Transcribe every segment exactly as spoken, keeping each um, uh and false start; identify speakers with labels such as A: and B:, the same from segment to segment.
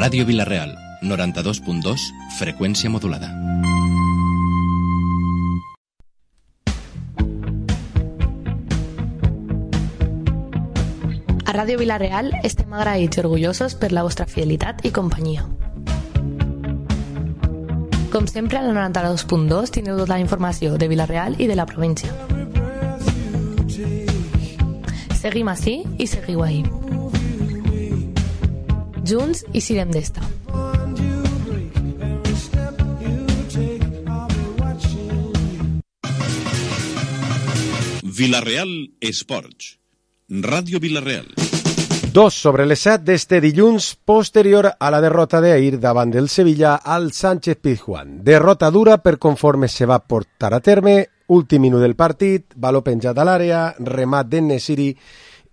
A: Ràdio Vila-real, noranta-dos punt dos, freqüència modulada.
B: A Ràdio Vila-real estem agraïts i orgullosos per la vostra fidelitat i companyia. Com sempre, a la noranta-dos punt dos teniu tota la informació de Vila-real i de la província. Seguim ací i seguiu ahí. Junts i sirem d'esta.
C: Vila-real Esports. Ràdio Vila-real.
D: Dos sobre les set d'este dilluns, posterior a la derrota d'ahir davant del Sevilla al Sánchez-Pizjuán. Derrota dura per conforme se va portar a terme, últim minut del partit, baló penjat a l'àrea, remat d'En-Nesyri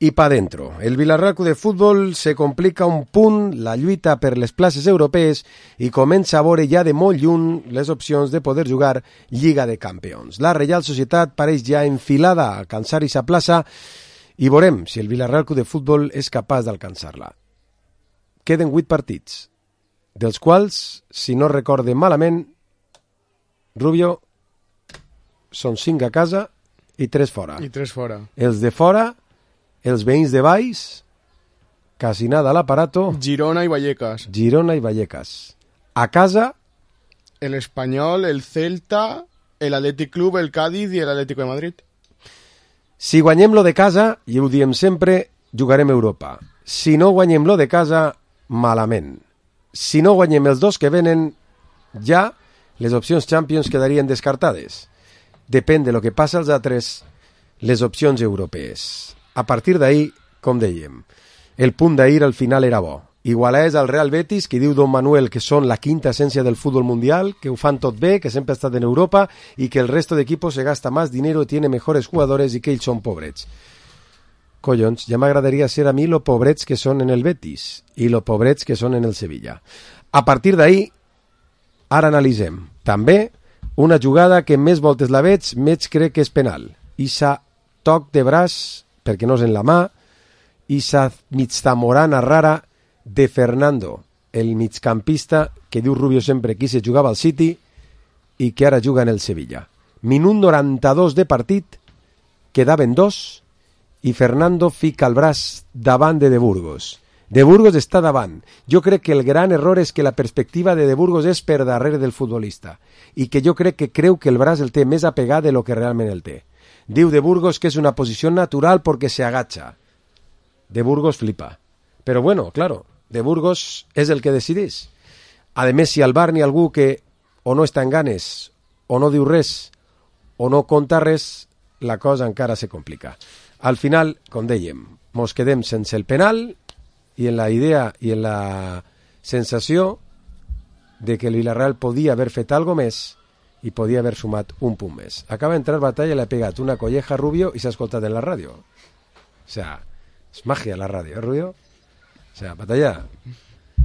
D: i pa dentro. El Vila-real Club de Futbol se complica un punt la lluita per les places europees i comença a veure ja de molt lluny les opcions de poder jugar Lliga de Campions. La Reial Societat pareix ja enfilada a alcançar aquesta plaça i veurem si el Vila-real Club de Futbol és capaç d'alcançar-la. Queden vuit partits, dels quals, si no recorde malament, Rubio, són cinc a casa i tres fora.
E: I tres fora.
D: Els de fora, els veïns de Valls, quasi nada a l'aparato.
E: Girona i Vallecas.
D: Girona i Vallecas. A casa,
E: el Espanyol, el Celta, el Athletic Club, el Cádiz i el Atlético de Madrid.
D: Si guanyem lo de casa, i ho diem sempre, jugarem a Europa. Si no guanyem lo de casa, malament. Si no guanyem els dos que venen, ja les opcions Champions quedarien descartades. Depèn de lo que passa als altres, les opcions europees. A partir d'ahir, com dèiem, el punt d'ahir al final era bo. Igualés al Real Betis, que diu Don Manuel que són la quinta essència del futbol mundial, que ho fan tot bé, que sempre ha estat en Europa i que el resto de equipos se gasta más dinero, tiene mejores jugadores i que ells són pobrets. Collons, ja m'agradaria ser a mi lo pobrets que són en el Betis i lo pobrets que són en el Sevilla. A partir d'ahir, ara analitzem. També una jugada que més voltes la veig, més crec que és penal. Issa toc de braç, perquè no és en la mà, issa migtamorana rara de Fernando, el migcampista que diu Rubio sempre que se jugava al City i que ara juga en el Sevilla. Minut noranta-dos de partit, quedaven dos i Fernando fica el braç davant de De Burgos. De Burgos està davant. Jo crec que el gran error és que la perspectiva de De Burgos és per darrere del futbolista i que jo crec que creu que el braç el té més apegat de lo que realment el té. Diu De Burgos que és una posició natural perquè se agacha. De Burgos flipa. Però bueno, claro, De Burgos és el que decideix. A més, si al bar n'hi ha algú que o no està en ganes, o no diu res, o no conta res, la cosa encara se complica. Al final, com dèiem, mos quedem sense el penal i en la idea i en la sensació de que el Vila-real podia haver fet algo més i podia haver sumat un punt més. Acaba d'entrar Batalla i l'ha pegat una colleja a Rubio i s'ha escoltat en la ràdio. O sea, és màgia la ràdio, eh, Rubio? O sea, Batalla,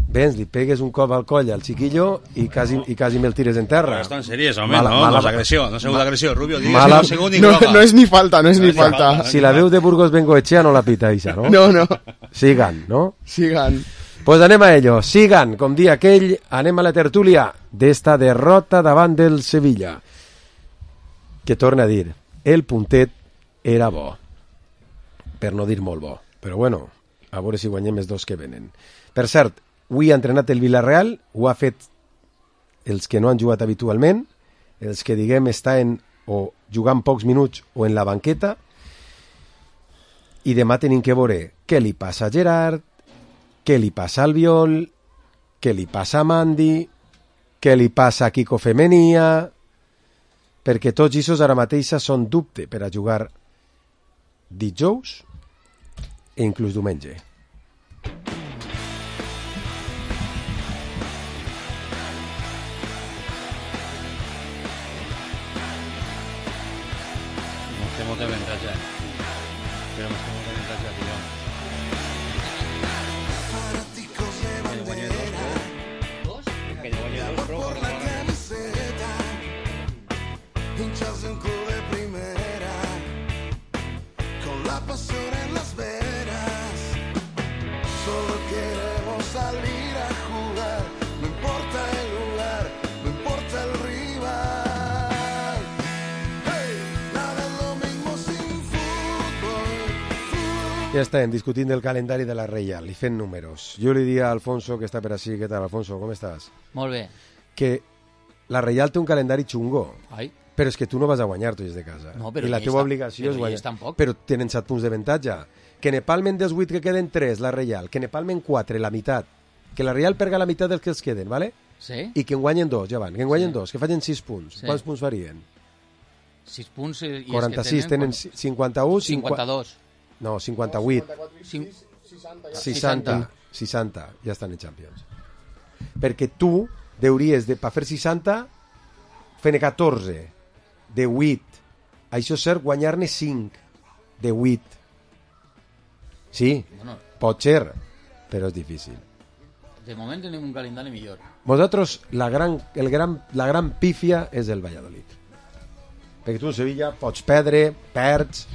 D: vens, li pegues un cop al coll al chiquillo i quasi, i quasi me'l tires en terra.
F: Estan seriós, home, mala, no? Mala, no és agressió, no és agressió, Rubio, digues
D: mala,
F: un segon i
E: no,
F: groga.
E: No és ni falta, no és no ni falta. falta.
D: Si la veu de Burgos Bengoechea no la pita, Isa, no?
E: No, no.
D: Sigan, no?
E: Sigan.
D: Pues anem a ello, sigan, com dia aquell, anem a la tertúlia d'esta derrota davant del Sevilla. Que torna a dir, el puntet era bo, per no dir molt bo, però bueno, a veure si guanyem els dos que venen. Per cert, avui ha entrenat el Vila-real, ho ha fet els que no han jugat habitualment, els que diguem estan o jugant pocs minuts o en la banqueta, i demà tenim que veure què li passa a Gerard, què li passa al Albiol, què li passa a Mandi, què li passa a Kiko Femenia, perquè tots aquests ara mateix són dubte per a jugar dijous e inclús diumenge.
F: Nos tenemos que ventrar ya. Pero nos tenemos que ventrar ya, tío. ¿Dos? Que yo voy a dos pro por la camiseta.
G: Hinchas de un club de primera, con la pasión en las venas.
D: Ja estem discutint del calendari de la Reial i fent números. Jo li diria a Alfonso, que està per així, què tal, Alfonso, com estàs?
F: Molt bé.
D: Que la Reial té un calendari xungo,
F: Ai.
D: però és que tu no vas a guanyar, tu des de casa.
F: No, però
D: I la
F: ells
D: teva
F: tam-
D: obligació
F: però
D: és guanyar.
F: ells tampoc.
D: Però tenen set punts d'avantatge. Que ne palmen dels vuit que queden tres, la Reial. Que ne palmen quatre, la meitat. Que la Reial perga la meitat dels que els queden, ¿vale?
F: Sí?
D: I que en guanyen dos, ja van. Que en guanyen
F: Sí.
D: dos, que facin sis punts.
F: Sí.
D: Quants punts farien?
F: sis punts i és
D: quaranta-sis,
F: que
D: tenen
F: tenen...
D: cinquanta-u...
F: cinquanta-dos.
D: No, cinquanta-vuit.
F: Cin-
D: seixanta. seixanta. Ja estan en Champions. Perquè tu deuries, de, per fer seixanta, fer-ne catorze, de vuit. Això és cert, guanyar-ne cinc, de vuit. Sí,
F: Bueno,
D: pot ser, però és difícil.
F: de moment tenim un calendari millor.
D: Vosaltres, la gran, el gran, la gran pífia és el Valladolid. Perquè tu en Sevilla pots perdre, perds,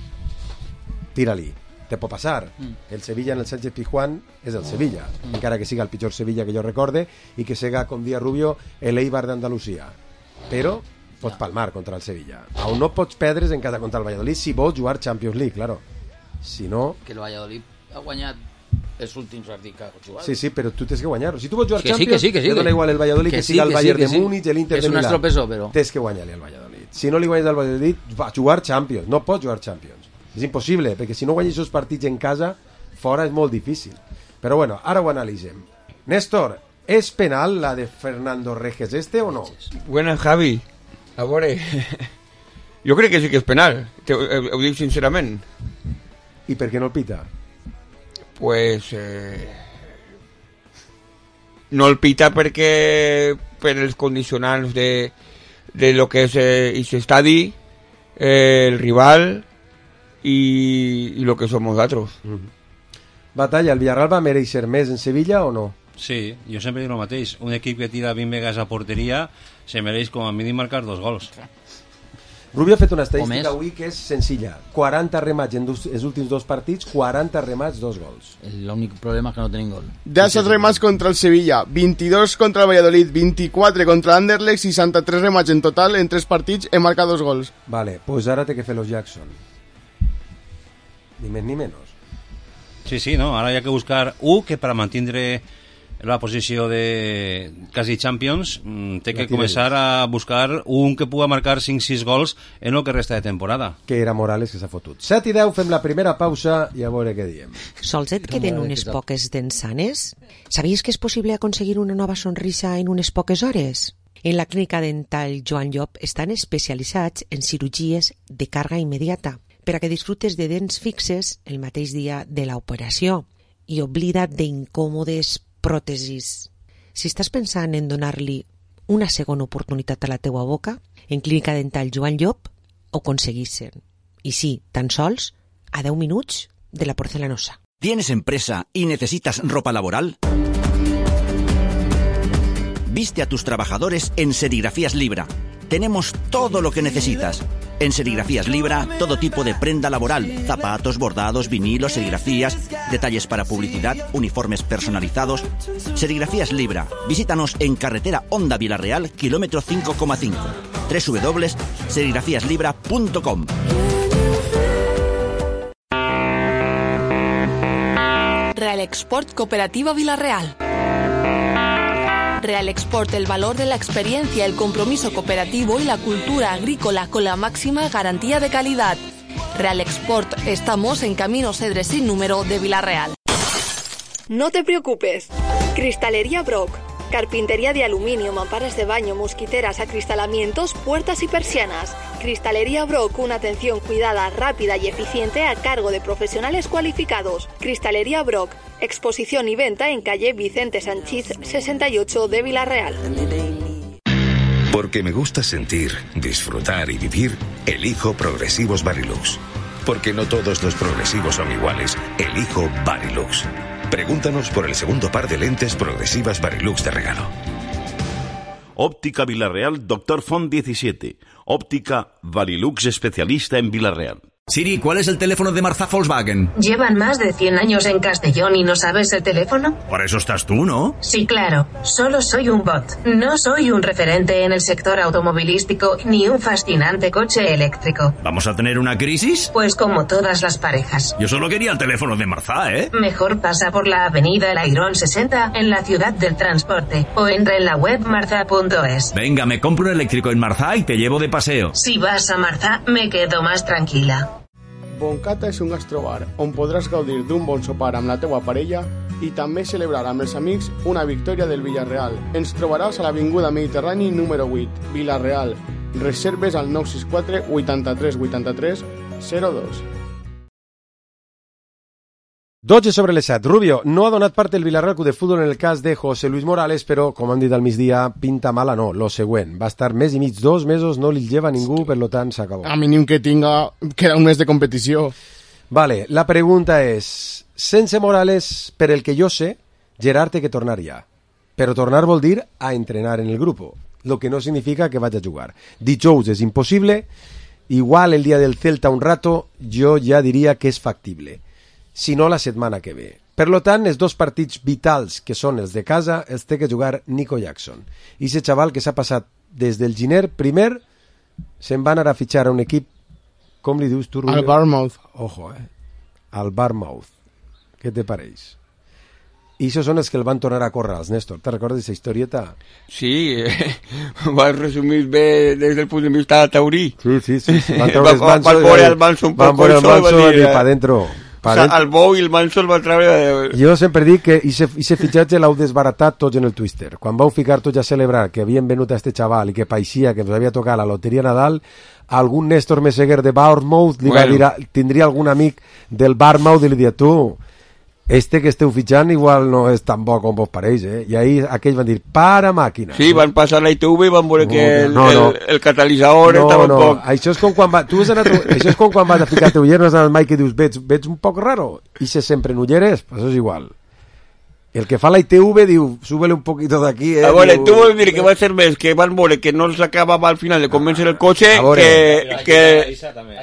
D: tira-li. Te pot passar.
F: Mm.
D: El Sevilla en el Sánchez Pizjuán és el Sevilla, mm. encara que siga el pitjor Sevilla que jo recorde i que siga, com dia Rubio, el Eibar d'Andalusia. Però pots palmar contra el Sevilla. On no pots perdre en casa contra el Valladolid si vols jugar Champions League, claro. Si no...
F: Que el Valladolid ha guanyat els últims partits que ha jugat.
D: Sí, sí, però tu tens que guanyar-lo. Si tu vols jugar
F: Que sí,
D: Champions,
F: que sí, que sí,
D: te dona
F: que-
D: igual el Valladolid que,
F: que
D: que
F: sí,
D: siga el
F: que sí,
D: Bayern
F: que
D: de
F: sí.
D: Múnich, el Inter
F: És
D: de
F: un
D: Milà.
F: estropesó, però.
D: Tens que guanyar-li al Valladolid. Si no li guanyes al Valladolid, va a jugar Champions. No pots jugar Champions. És impossible, perquè si no guanyes els partits en casa, fora és molt difícil. Però bueno, ara ho analitzem. Néstor, és penal la de Fernando Reges este o no?
G: Buenas, Javi. A veure... Jo crec que sí que és penal, te, ho, ho dic sincerament.
D: I per què no el pita?
G: Pues... Eh, no el pita perquè per els condicionants de, de lo que és eh, aquest estadi, eh, el rival i, i lo que som nosaltres.
D: Mm-hmm. Batalla, el Villarreal va mereixer més en Sevilla o no?
H: Sí, jo sempre dic el mateix. Un equip que tira vint vegades a porteria se mereix com a mínim marcar dos gols.
D: Rubio ha fet una
F: O
D: estadística
F: més.
D: avui que és senzilla. quaranta remats en dos, els últims dos partits, quaranta remats, dos gols.
F: L'únic problema és que no tenim gol.
E: diez remats contra el Sevilla, veintidós contra el Valladolid, veinticuatro contra l'Anderlecht, seixanta-tres remats en total en tres partits, he marcat dos gols.
D: Vale, pues ara té que fer los Jackson. Ni més ni menys.
H: Sí, sí, no? Ara hi ha que buscar un que per mantindre la posició de quasi Champions mm, té
D: La
H: que
D: tira
H: començar
D: dins.
H: a buscar un que puga marcar cinc sis gols en el que resta de temporada.
D: Que era Morales que s'ha fotut. set i deu, fem la primera pausa i a veure què diem.
I: Sols et queden unes poques dents sanes? Sabies que és possible aconseguir una nova sonrisa en unes poques hores? En la clínica dental Joan Llop estan especialitzats en cirurgies de càrrega immediata per a que disfrutes de dents fixes el mateix dia de l'operació i oblida't d'incòmodes pròtesis. Si estàs pensant en donar-li una segona oportunitat a la teua boca, en Clínica Dental Joan Llop ho aconseguissin. I sí, tan sols a deu minuts de la porcelanosa.
J: ¿Tienes empresa y necesitas ropa laboral? Viste a tus trabajadores en Serigrafías Libra. Tenemos todo lo que necesitas. En Serigrafías Libra, todo tipo de prenda laboral, zapatos, bordados, vinilos, serigrafías, detalles para publicidad, uniformes personalizados. Serigrafías Libra. Visítanos en carretera Honda Villarreal, kilómetro cinco coma cinco. doble u doble u doble u punto serigrafías libra punto com.
K: Real Export Cooperativa Villarreal. Real Export, el valor de la experiencia, el compromiso cooperativo y la cultura agrícola con la máxima garantía de calidad. Real Export, estamos en Camino Cedres sin número de Villarreal.
L: No te preocupes. Cristalería Brock. Carpintería de aluminio, mamparas de baño, mosquiteras, acristalamientos, puertas y persianas. Cristalería Brock, una atención cuidada, rápida y eficiente a cargo de profesionales cualificados. Cristalería Brock, exposición y venta en calle Vicente Sanchís sesenta y ocho de Villarreal.
M: Porque me gusta sentir, disfrutar y vivir, elijo Progresivos Varilux. Porque no todos los progresivos son iguales, elijo Varilux. Pregúntanos por el segundo par de lentes progresivas Varilux de regalo.
C: Óptica Villarreal, Doctor Font diecisiete. Óptica Varilux especialista en Villarreal.
N: Siri, ¿cuál es el teléfono de Marzá Volkswagen?
O: ¿Llevan más de cien años en Castellón y no sabes el teléfono?
N: Por eso estás tú, ¿no?
O: Sí, claro. Solo soy un bot. No soy un referente en el sector automovilístico ni un fascinante coche eléctrico.
N: ¿Vamos a tener una crisis?
O: Pues como todas las parejas.
N: Yo solo quería el teléfono de Marzá, ¿eh?
O: Mejor pasa por la avenida El Airón sesenta en la ciudad del transporte o entra en la web marza punto es.
N: Venga, me compro un eléctrico en Marzá y te llevo de paseo.
O: Si vas a Marzá, me quedo más tranquila.
E: Boncata és un gastrobar on podràs gaudir d'un bon sopar amb la teua parella i també celebrar amb els amics una victòria del Villarreal. Ens trobaràs a l'Avinguda Mediterrani número vuit, Villarreal. Reserves al nou sis quatre vuitanta-tres vuitanta-tres zero dos.
D: dotze sobre les set. Rubio, no ha donat part el Villarreal Club de Futbol en el cas de José Luis Morales, però, com han dit al migdia, pinta mala no. Lo següent, va estar mes i mig, dos mesos, no li lleva ningú, per lo tant s'acabó.
E: A mínim que tinga, queda un mes de competició.
D: Vale, la pregunta és, sense Morales, per el que jo sé, Gerard té que tornar ja. Però tornar vol dir a entrenar en el grupo, lo que no significa que vaya a jugar. Dijous és impossible, igual el dia del Celta un rato, jo ja diria que és factible. Si no la setmana que ve. Per lo tant, els dos partits vitals que són els de casa els té que jugar Nico Jackson. I ese xaval que s'ha passat des del Giner, primer se'n va anar a fitxar a un equip, com li dius tu, Rubio?
E: Al Bournemouth.
D: Ojo, eh? Al Bournemouth. Què te pareix? I això són els que el van tornar a córrer, els Néstor. Te recordes aquesta historieta?
G: Sí, eh, ho has resumit bé des del punt de vista taurí.
D: Sí, sí, sí. Van treure el manso,
G: van veure el manso un
D: van
G: poc
D: el manso i
G: dir,
D: pa dentro.
G: O sea, el bou i el manso el van treure...
D: Jo sempre dic que aquest fitxatge l'heu desbaratat tots en el Twister. Quan vau ficar tots a celebrar que havien venut a este xaval i que paeixia que ens havia tocat la loteria Nadal, algun Néstor Meseguer de Bournemouth li bueno. va dir, tindria algun amic del Bournemouth i li dia, tu, este que esteu fitxant igual no és tan bo com vos pareix, eh? I ahí aquells van dir, para màquina.
G: Sí, van passar la I T V i van veure no, que el,
D: no, no.
G: el, el catalitzador
D: no,
G: estava
D: no.
G: un poc...
D: Això és com quan, va, tu has anat, això és com quan vas a ficar teu ulleres al Mike i dius, veig, veig un poc raro, i se sempre en ulleres, pues això és igual. El que fa la I T V diu, súbele un poquito d'aquí, eh?
G: A veure,
D: diu,
G: tu vols dir que va ser més que van veure que no s'acabava al final de convèncer el cotxe que, que,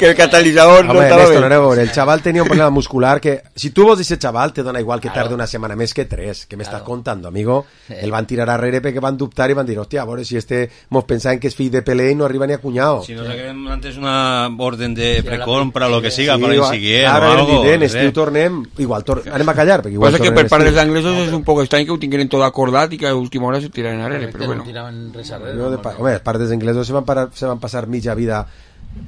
G: que el catalitzador no estava
D: Néstor,
G: bé.
D: A veure, el xaval tenia un problema muscular que, si tu vols aquest xaval, te dona igual que tarde una setmana més que tres, que m'estàs contando, amigo? El van tirar arrere perquè van dubtar i van dir, hòstia, a veure, si este mos pensaven que és fill de Pelé i no arriba ni a cunyado.
H: Si no saquem antes una orden de precompra, lo que siga, para insiguier o
D: ara
H: algo.
D: Ara estiu tornem, igual, tor anem a callar, perquè igual
G: Passa que per part dels anglesos és un poc estrany que ho tingueren tot acordat i que a última hora se tiraran arrere, però bueno.
D: No, de pa home, els pares inglesos se van, para, se van passar mitja vida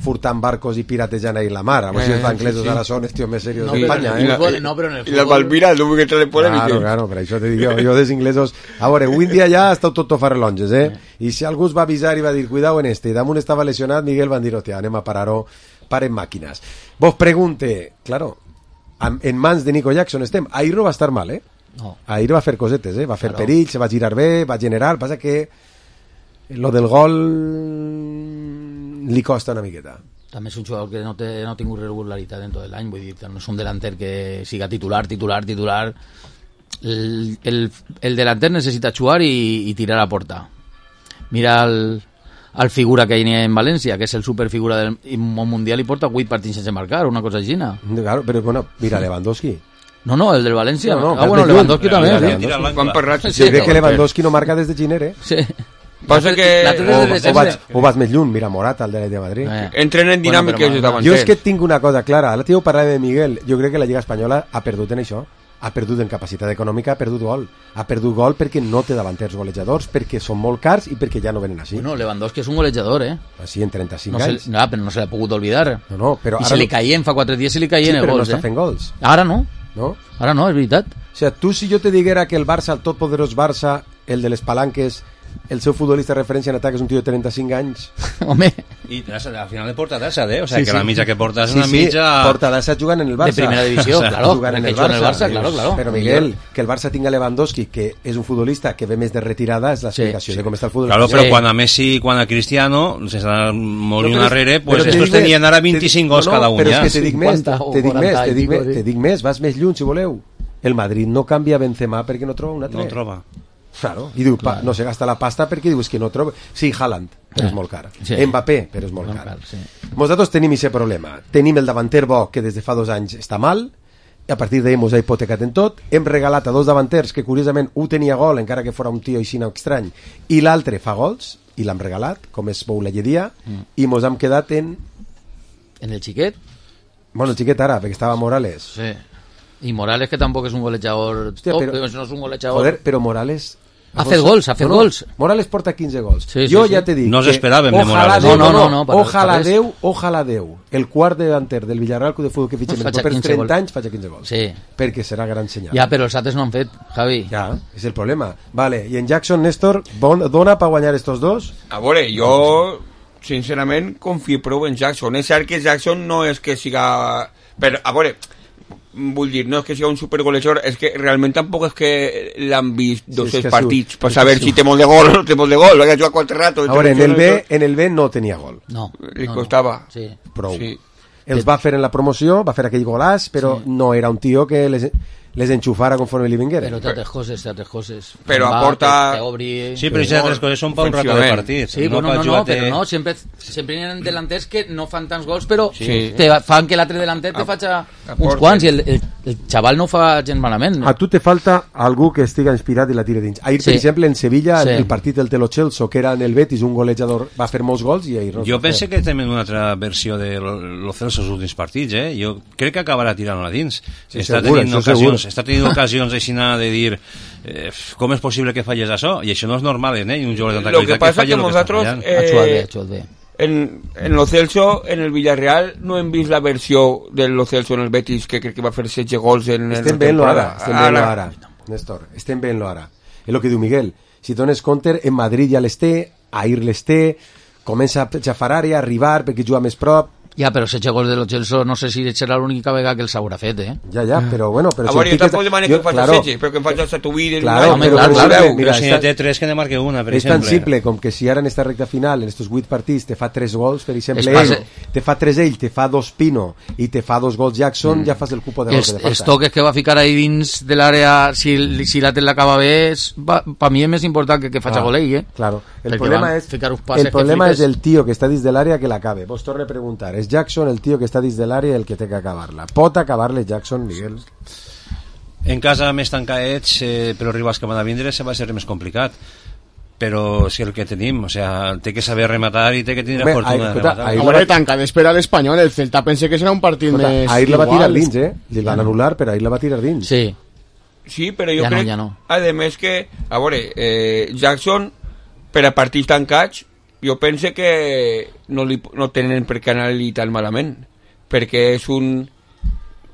D: furtant barcos i piratejant ahí la mar. A veure eh, si els anglesos sí, sí. ara són els tios més serios
G: no,
D: d'Espanya.
G: Eh?
D: La,
G: no, però en el futbol... I la Palmira, no vull que te polèmiques.
D: Claro, claro, per això te dic jo, jo dels inglesos... A veure, avui en dia ja està tot farrelonges, eh? I si algú es va avisar i va dir, cuidao en este, i damunt estava lesionat, Miguel van dir, hòstia, anem a parar-ho, paren màquines. Vos pregunte, claro, en mans de Nico Jackson estem. Ahir no va estar mal, eh? No. Ahir va fer cosetes, eh? Va fer claro. perill, se va girar bé, va generar, passa que lo del gol li costa una miqueta.
F: També és un jugador que no, té, no ha tingut regularitat en tot l'any, vull dir, no és un delanter que siga titular, titular, titular. El, el, el delanter necessita jugar i, i tirar a porta. Mira el, el figura que hi ha en València, que és el superfigura del Mundial i porta vuit partits sense marcar, una cosa així.
D: Claro, però bueno, mira Lewandowski.
F: No, no, el del València.
D: No, no,
F: ah, bueno, Lewandowski també.
G: Quan parlat...
D: Sí, crec que Lewandowski no marca des de Giner, eh?
F: Sí.
G: Passa que...
D: O, o, vaig, o vas més lluny, mira Morata, el de Madrid.
G: Eh. Entren en dinàmiques bueno,
D: jo és que tinc una cosa clara. L'altre dia ho parlava de Miguel. Jo crec que la Lliga Espanyola ha perdut en això. Ha perdut en capacitat econòmica, ha perdut gol. Ha perdut gol perquè no té davanters golejadors, perquè són molt cars i perquè ja no venen així.
F: Bueno, Lewandowski és un golejador, eh?
D: Així, en trenta-cinc
F: no
D: anys.
F: Se, no, però no se l'ha pogut oblidar.
D: No, no, però
F: I
D: ara
F: se li
D: no...
F: caien, fa quatre dies se li caien
D: sí,
F: els gols,
D: no està
F: eh?
D: fent gols.
F: Ara no.
D: No?
F: Ara no, és veritat.
D: O sigui, tu si jo te diguera que el Barça, el totpoderós Barça, el de les palanques, el seu futbolista de referència en atac és un tio de trenta-cinc anys.
F: Home.
H: I al final de porta d'assa, eh? O sea,
D: sí,
H: que
D: sí.
H: la mitja que porta és
D: sí,
H: una
D: sí,
H: mitja...
D: porta d'assa jugant en el Barça.
F: De primera divisió, claro.
D: Jugant en el
F: Barça,
D: Barça,
F: el Barça claro, claro.
D: Però Miguel, que el Barça tinga Lewandowski, que és un futbolista que ve més de retirada, és l'explicació sí, sí. de com està el futbol.
H: Claro, però sí. quan a Messi, quan a Cristiano se està morint no, darrere, pues estos tenien ara vint-i-cinc gols
D: no, no,
H: cada un.
D: Però
H: ja.
D: és que te dic més, te dic més, te dic més, te dic més, vas més lluny si voleu. El Madrid no canvia Benzema perquè no troba un altre.
H: No troba.
D: Claro, i diu, pa, no se gasta la pasta perquè diu, és que no trobo... Sí, Haaland, però és molt car.
F: Sí.
D: Mbappé, però és molt car.
F: Sí.
D: Nosaltres tenim aquest problema. Tenim el davanter bo, que des de fa dos anys està mal, i a partir d'ahir mos ha hipotecat en tot. Hem regalat a dos davanters que, curiosament, un tenia gol, encara que fora un tio així estrany, i l'altre fa gols, i l'hem regalat, com és Bou la Lledia, mm. i mos hem quedat en...
F: En el xiquet?
D: Bueno, el xiquet ara, perquè estava Morales.
F: Sí. I Morales, que tampoc és un golejador...
D: Hòstia,
F: top,
D: però,
F: no és un golejador...
D: Joder, però Morales...
F: Ha fet gols, ha fet
D: no, no,
F: gols.
D: Morales porta quinze gols.
F: Sí, sí,
D: jo
F: sí.
D: ja te dic
H: no
D: que
H: esperàvem de Morales.
D: Déu,
F: no, no, no, no,
D: ojalà Déu, ojalà Déu, el quart delanter del Villarreal Club de Futbol que fitxem no, per trenta anys faci quinze gols.
F: Sí.
D: Perquè serà gran senyal.
F: Ja, però els altres no han fet, Javi.
D: Ja, és el problema. Vale, i en Jackson, Néstor, bon, dona per guanyar estos dos?
G: A veure, jo sincerament confio prou en Jackson. És cert que Jackson no és que siga... Però, a veure... vull dir, no és que sigui un supergolejador, és que realment tampoc és que l'han vist dos sí, partits per saber si té molt de gol o no té molt de gol, ha jugat quatre rato.
D: A veure, en el, B, en el B no tenia gol.
F: No.
G: Li
F: no,
G: costava.
F: No. Sí.
D: Prou.
G: Sí.
D: Els va fer en la promoció, va fer aquell golàs, però sí. no era un tio que les, les enxufara conforme li vinguera.
F: Però té altres coses, té altres coses.
G: Però
F: va,
G: aporta...
F: Te, te obri...
H: Sí, però aquestes altres coses són per un rato de partit.
F: Sí,
H: no,
F: no, no, no, però no, sempre, sempre hi ha delanters que no fan tants gols, però
G: sí.
F: te fan que l'altre delanter te faci uns quants, i el, el, el xaval no ho fa gens malament.
D: A tu te falta algú que estiga inspirat i la tire dins. Ahir, sí. per exemple, en Sevilla, sí. el partit del Telo Celso, que era en el Betis, un golejador, va fer molts gols i ahir no.
H: Jo penso que tenim una altra versió de lo Celso els últims partits, eh? Jo crec que acabarà tirant-la dins.
D: Sí,
H: està,
D: segur,
H: tenint ocasions, està tenint ocasions així de dir eh, com és possible que falles això? I això no és normal, eh? Un jugador de tanta
G: qualitat que, que falla que nosaltres, eh,
F: eh,
G: en, en Lo Celso, en el Villarreal, no hem vist la versió del Lo Celso en el Betis, que crec que va fer setze gols en,
D: estem
G: en la temporada.
D: Estem veient-lo ara, Néstor, estem veient-lo ara. És el que diu Miguel. Si dones compte, en Madrid ja les té, ahir les té, comença a xafar àrea, a arribar perquè juga més prop.
F: Ja, però setze gols de Lo Celso no sé si serà l'única vegada que els haurà fet, eh?
D: Ja, ja, però bueno... Però
G: a veure, jo tampoc demano que em faci setze, però que em faci el Satuí...
D: Claro,
F: home, clar, clar, clar.
H: Però si n'hi té tres que ne marque una, per
D: és
H: exemple.
D: És tan simple com que si ara en esta recta final, en estos vuit partits, te fa tres gols, per exemple,
F: ell,
D: te fa tres ell, te fa dos Pino i te fa dos gols Jackson, mm. ja fas el cupo de gols que te falta.
F: Els toques que va ficar ahí dins de l'àrea, si, si la té l'acaba bé, per mi és més important que que faci gol ell, eh?
D: Claro. El problema, és, el problema és el tio que està dins de l'àrea que l'acabe. Vos torno a preguntar, és Jackson el tio que està dins de l'àrea el que té que acabar-la? Pot acabar-la Jackson, Miguel?
H: En casa més tancadets, eh, però rivals que van a vindre se va ser més complicat, però si el que tenim, o sea, té que saber rematar i té que tenir la fortuna de rematar.
E: A veure, tancadets per a l'Espanyol, el Celta pense que serà un partit
D: Escolta,
E: més
D: ahir la va
E: igual.
D: tirar dins, eh? Li van anul·lar, però ahir la va tirar dins.
F: Sí.
G: Sí, però jo
F: ja
G: crec,
F: no, ja no.
G: a més que, a veure, eh, Jackson, per a partits tancats, jo pense que no, li, no tenen per què anar-li tan malament, perquè és un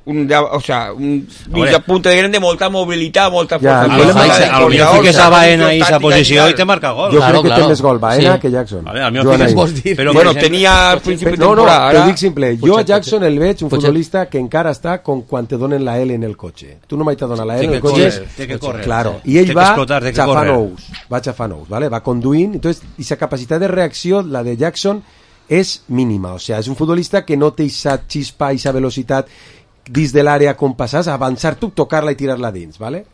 G: un, o sea, un mitja punta de gran de molta mobilitat, molta força.
D: Ja,
H: a lo millor fiques a Baena i esa posició i te marca gol.
D: Jo
H: claro,
D: crec que
H: claro.
D: té més gol Baena
H: sí.
D: que Jackson.
H: Vale, al millor fiques vols dir.
G: Però, bueno, tenia al principi de
D: no, no,
G: temporada.
D: t'ho dic simple. Jo a Jackson el veig un
F: Potser.
D: futbolista que encara està com quan te donen la L en el cotxe. Tu no mai t'ha donat la L en el cotxe.
H: Té que córrer.
D: Claro. I ell va xafant ous. Va xafant ous, ¿vale? Va conduint. Entonces, i sa capacitat de reacció, la de Jackson, és mínima. O sea, és un futbolista que no té esa xispa, esa velocitat dins de l'àrea com passàs, avançar tu, tocar-la i tirar-la dins, ¿vale?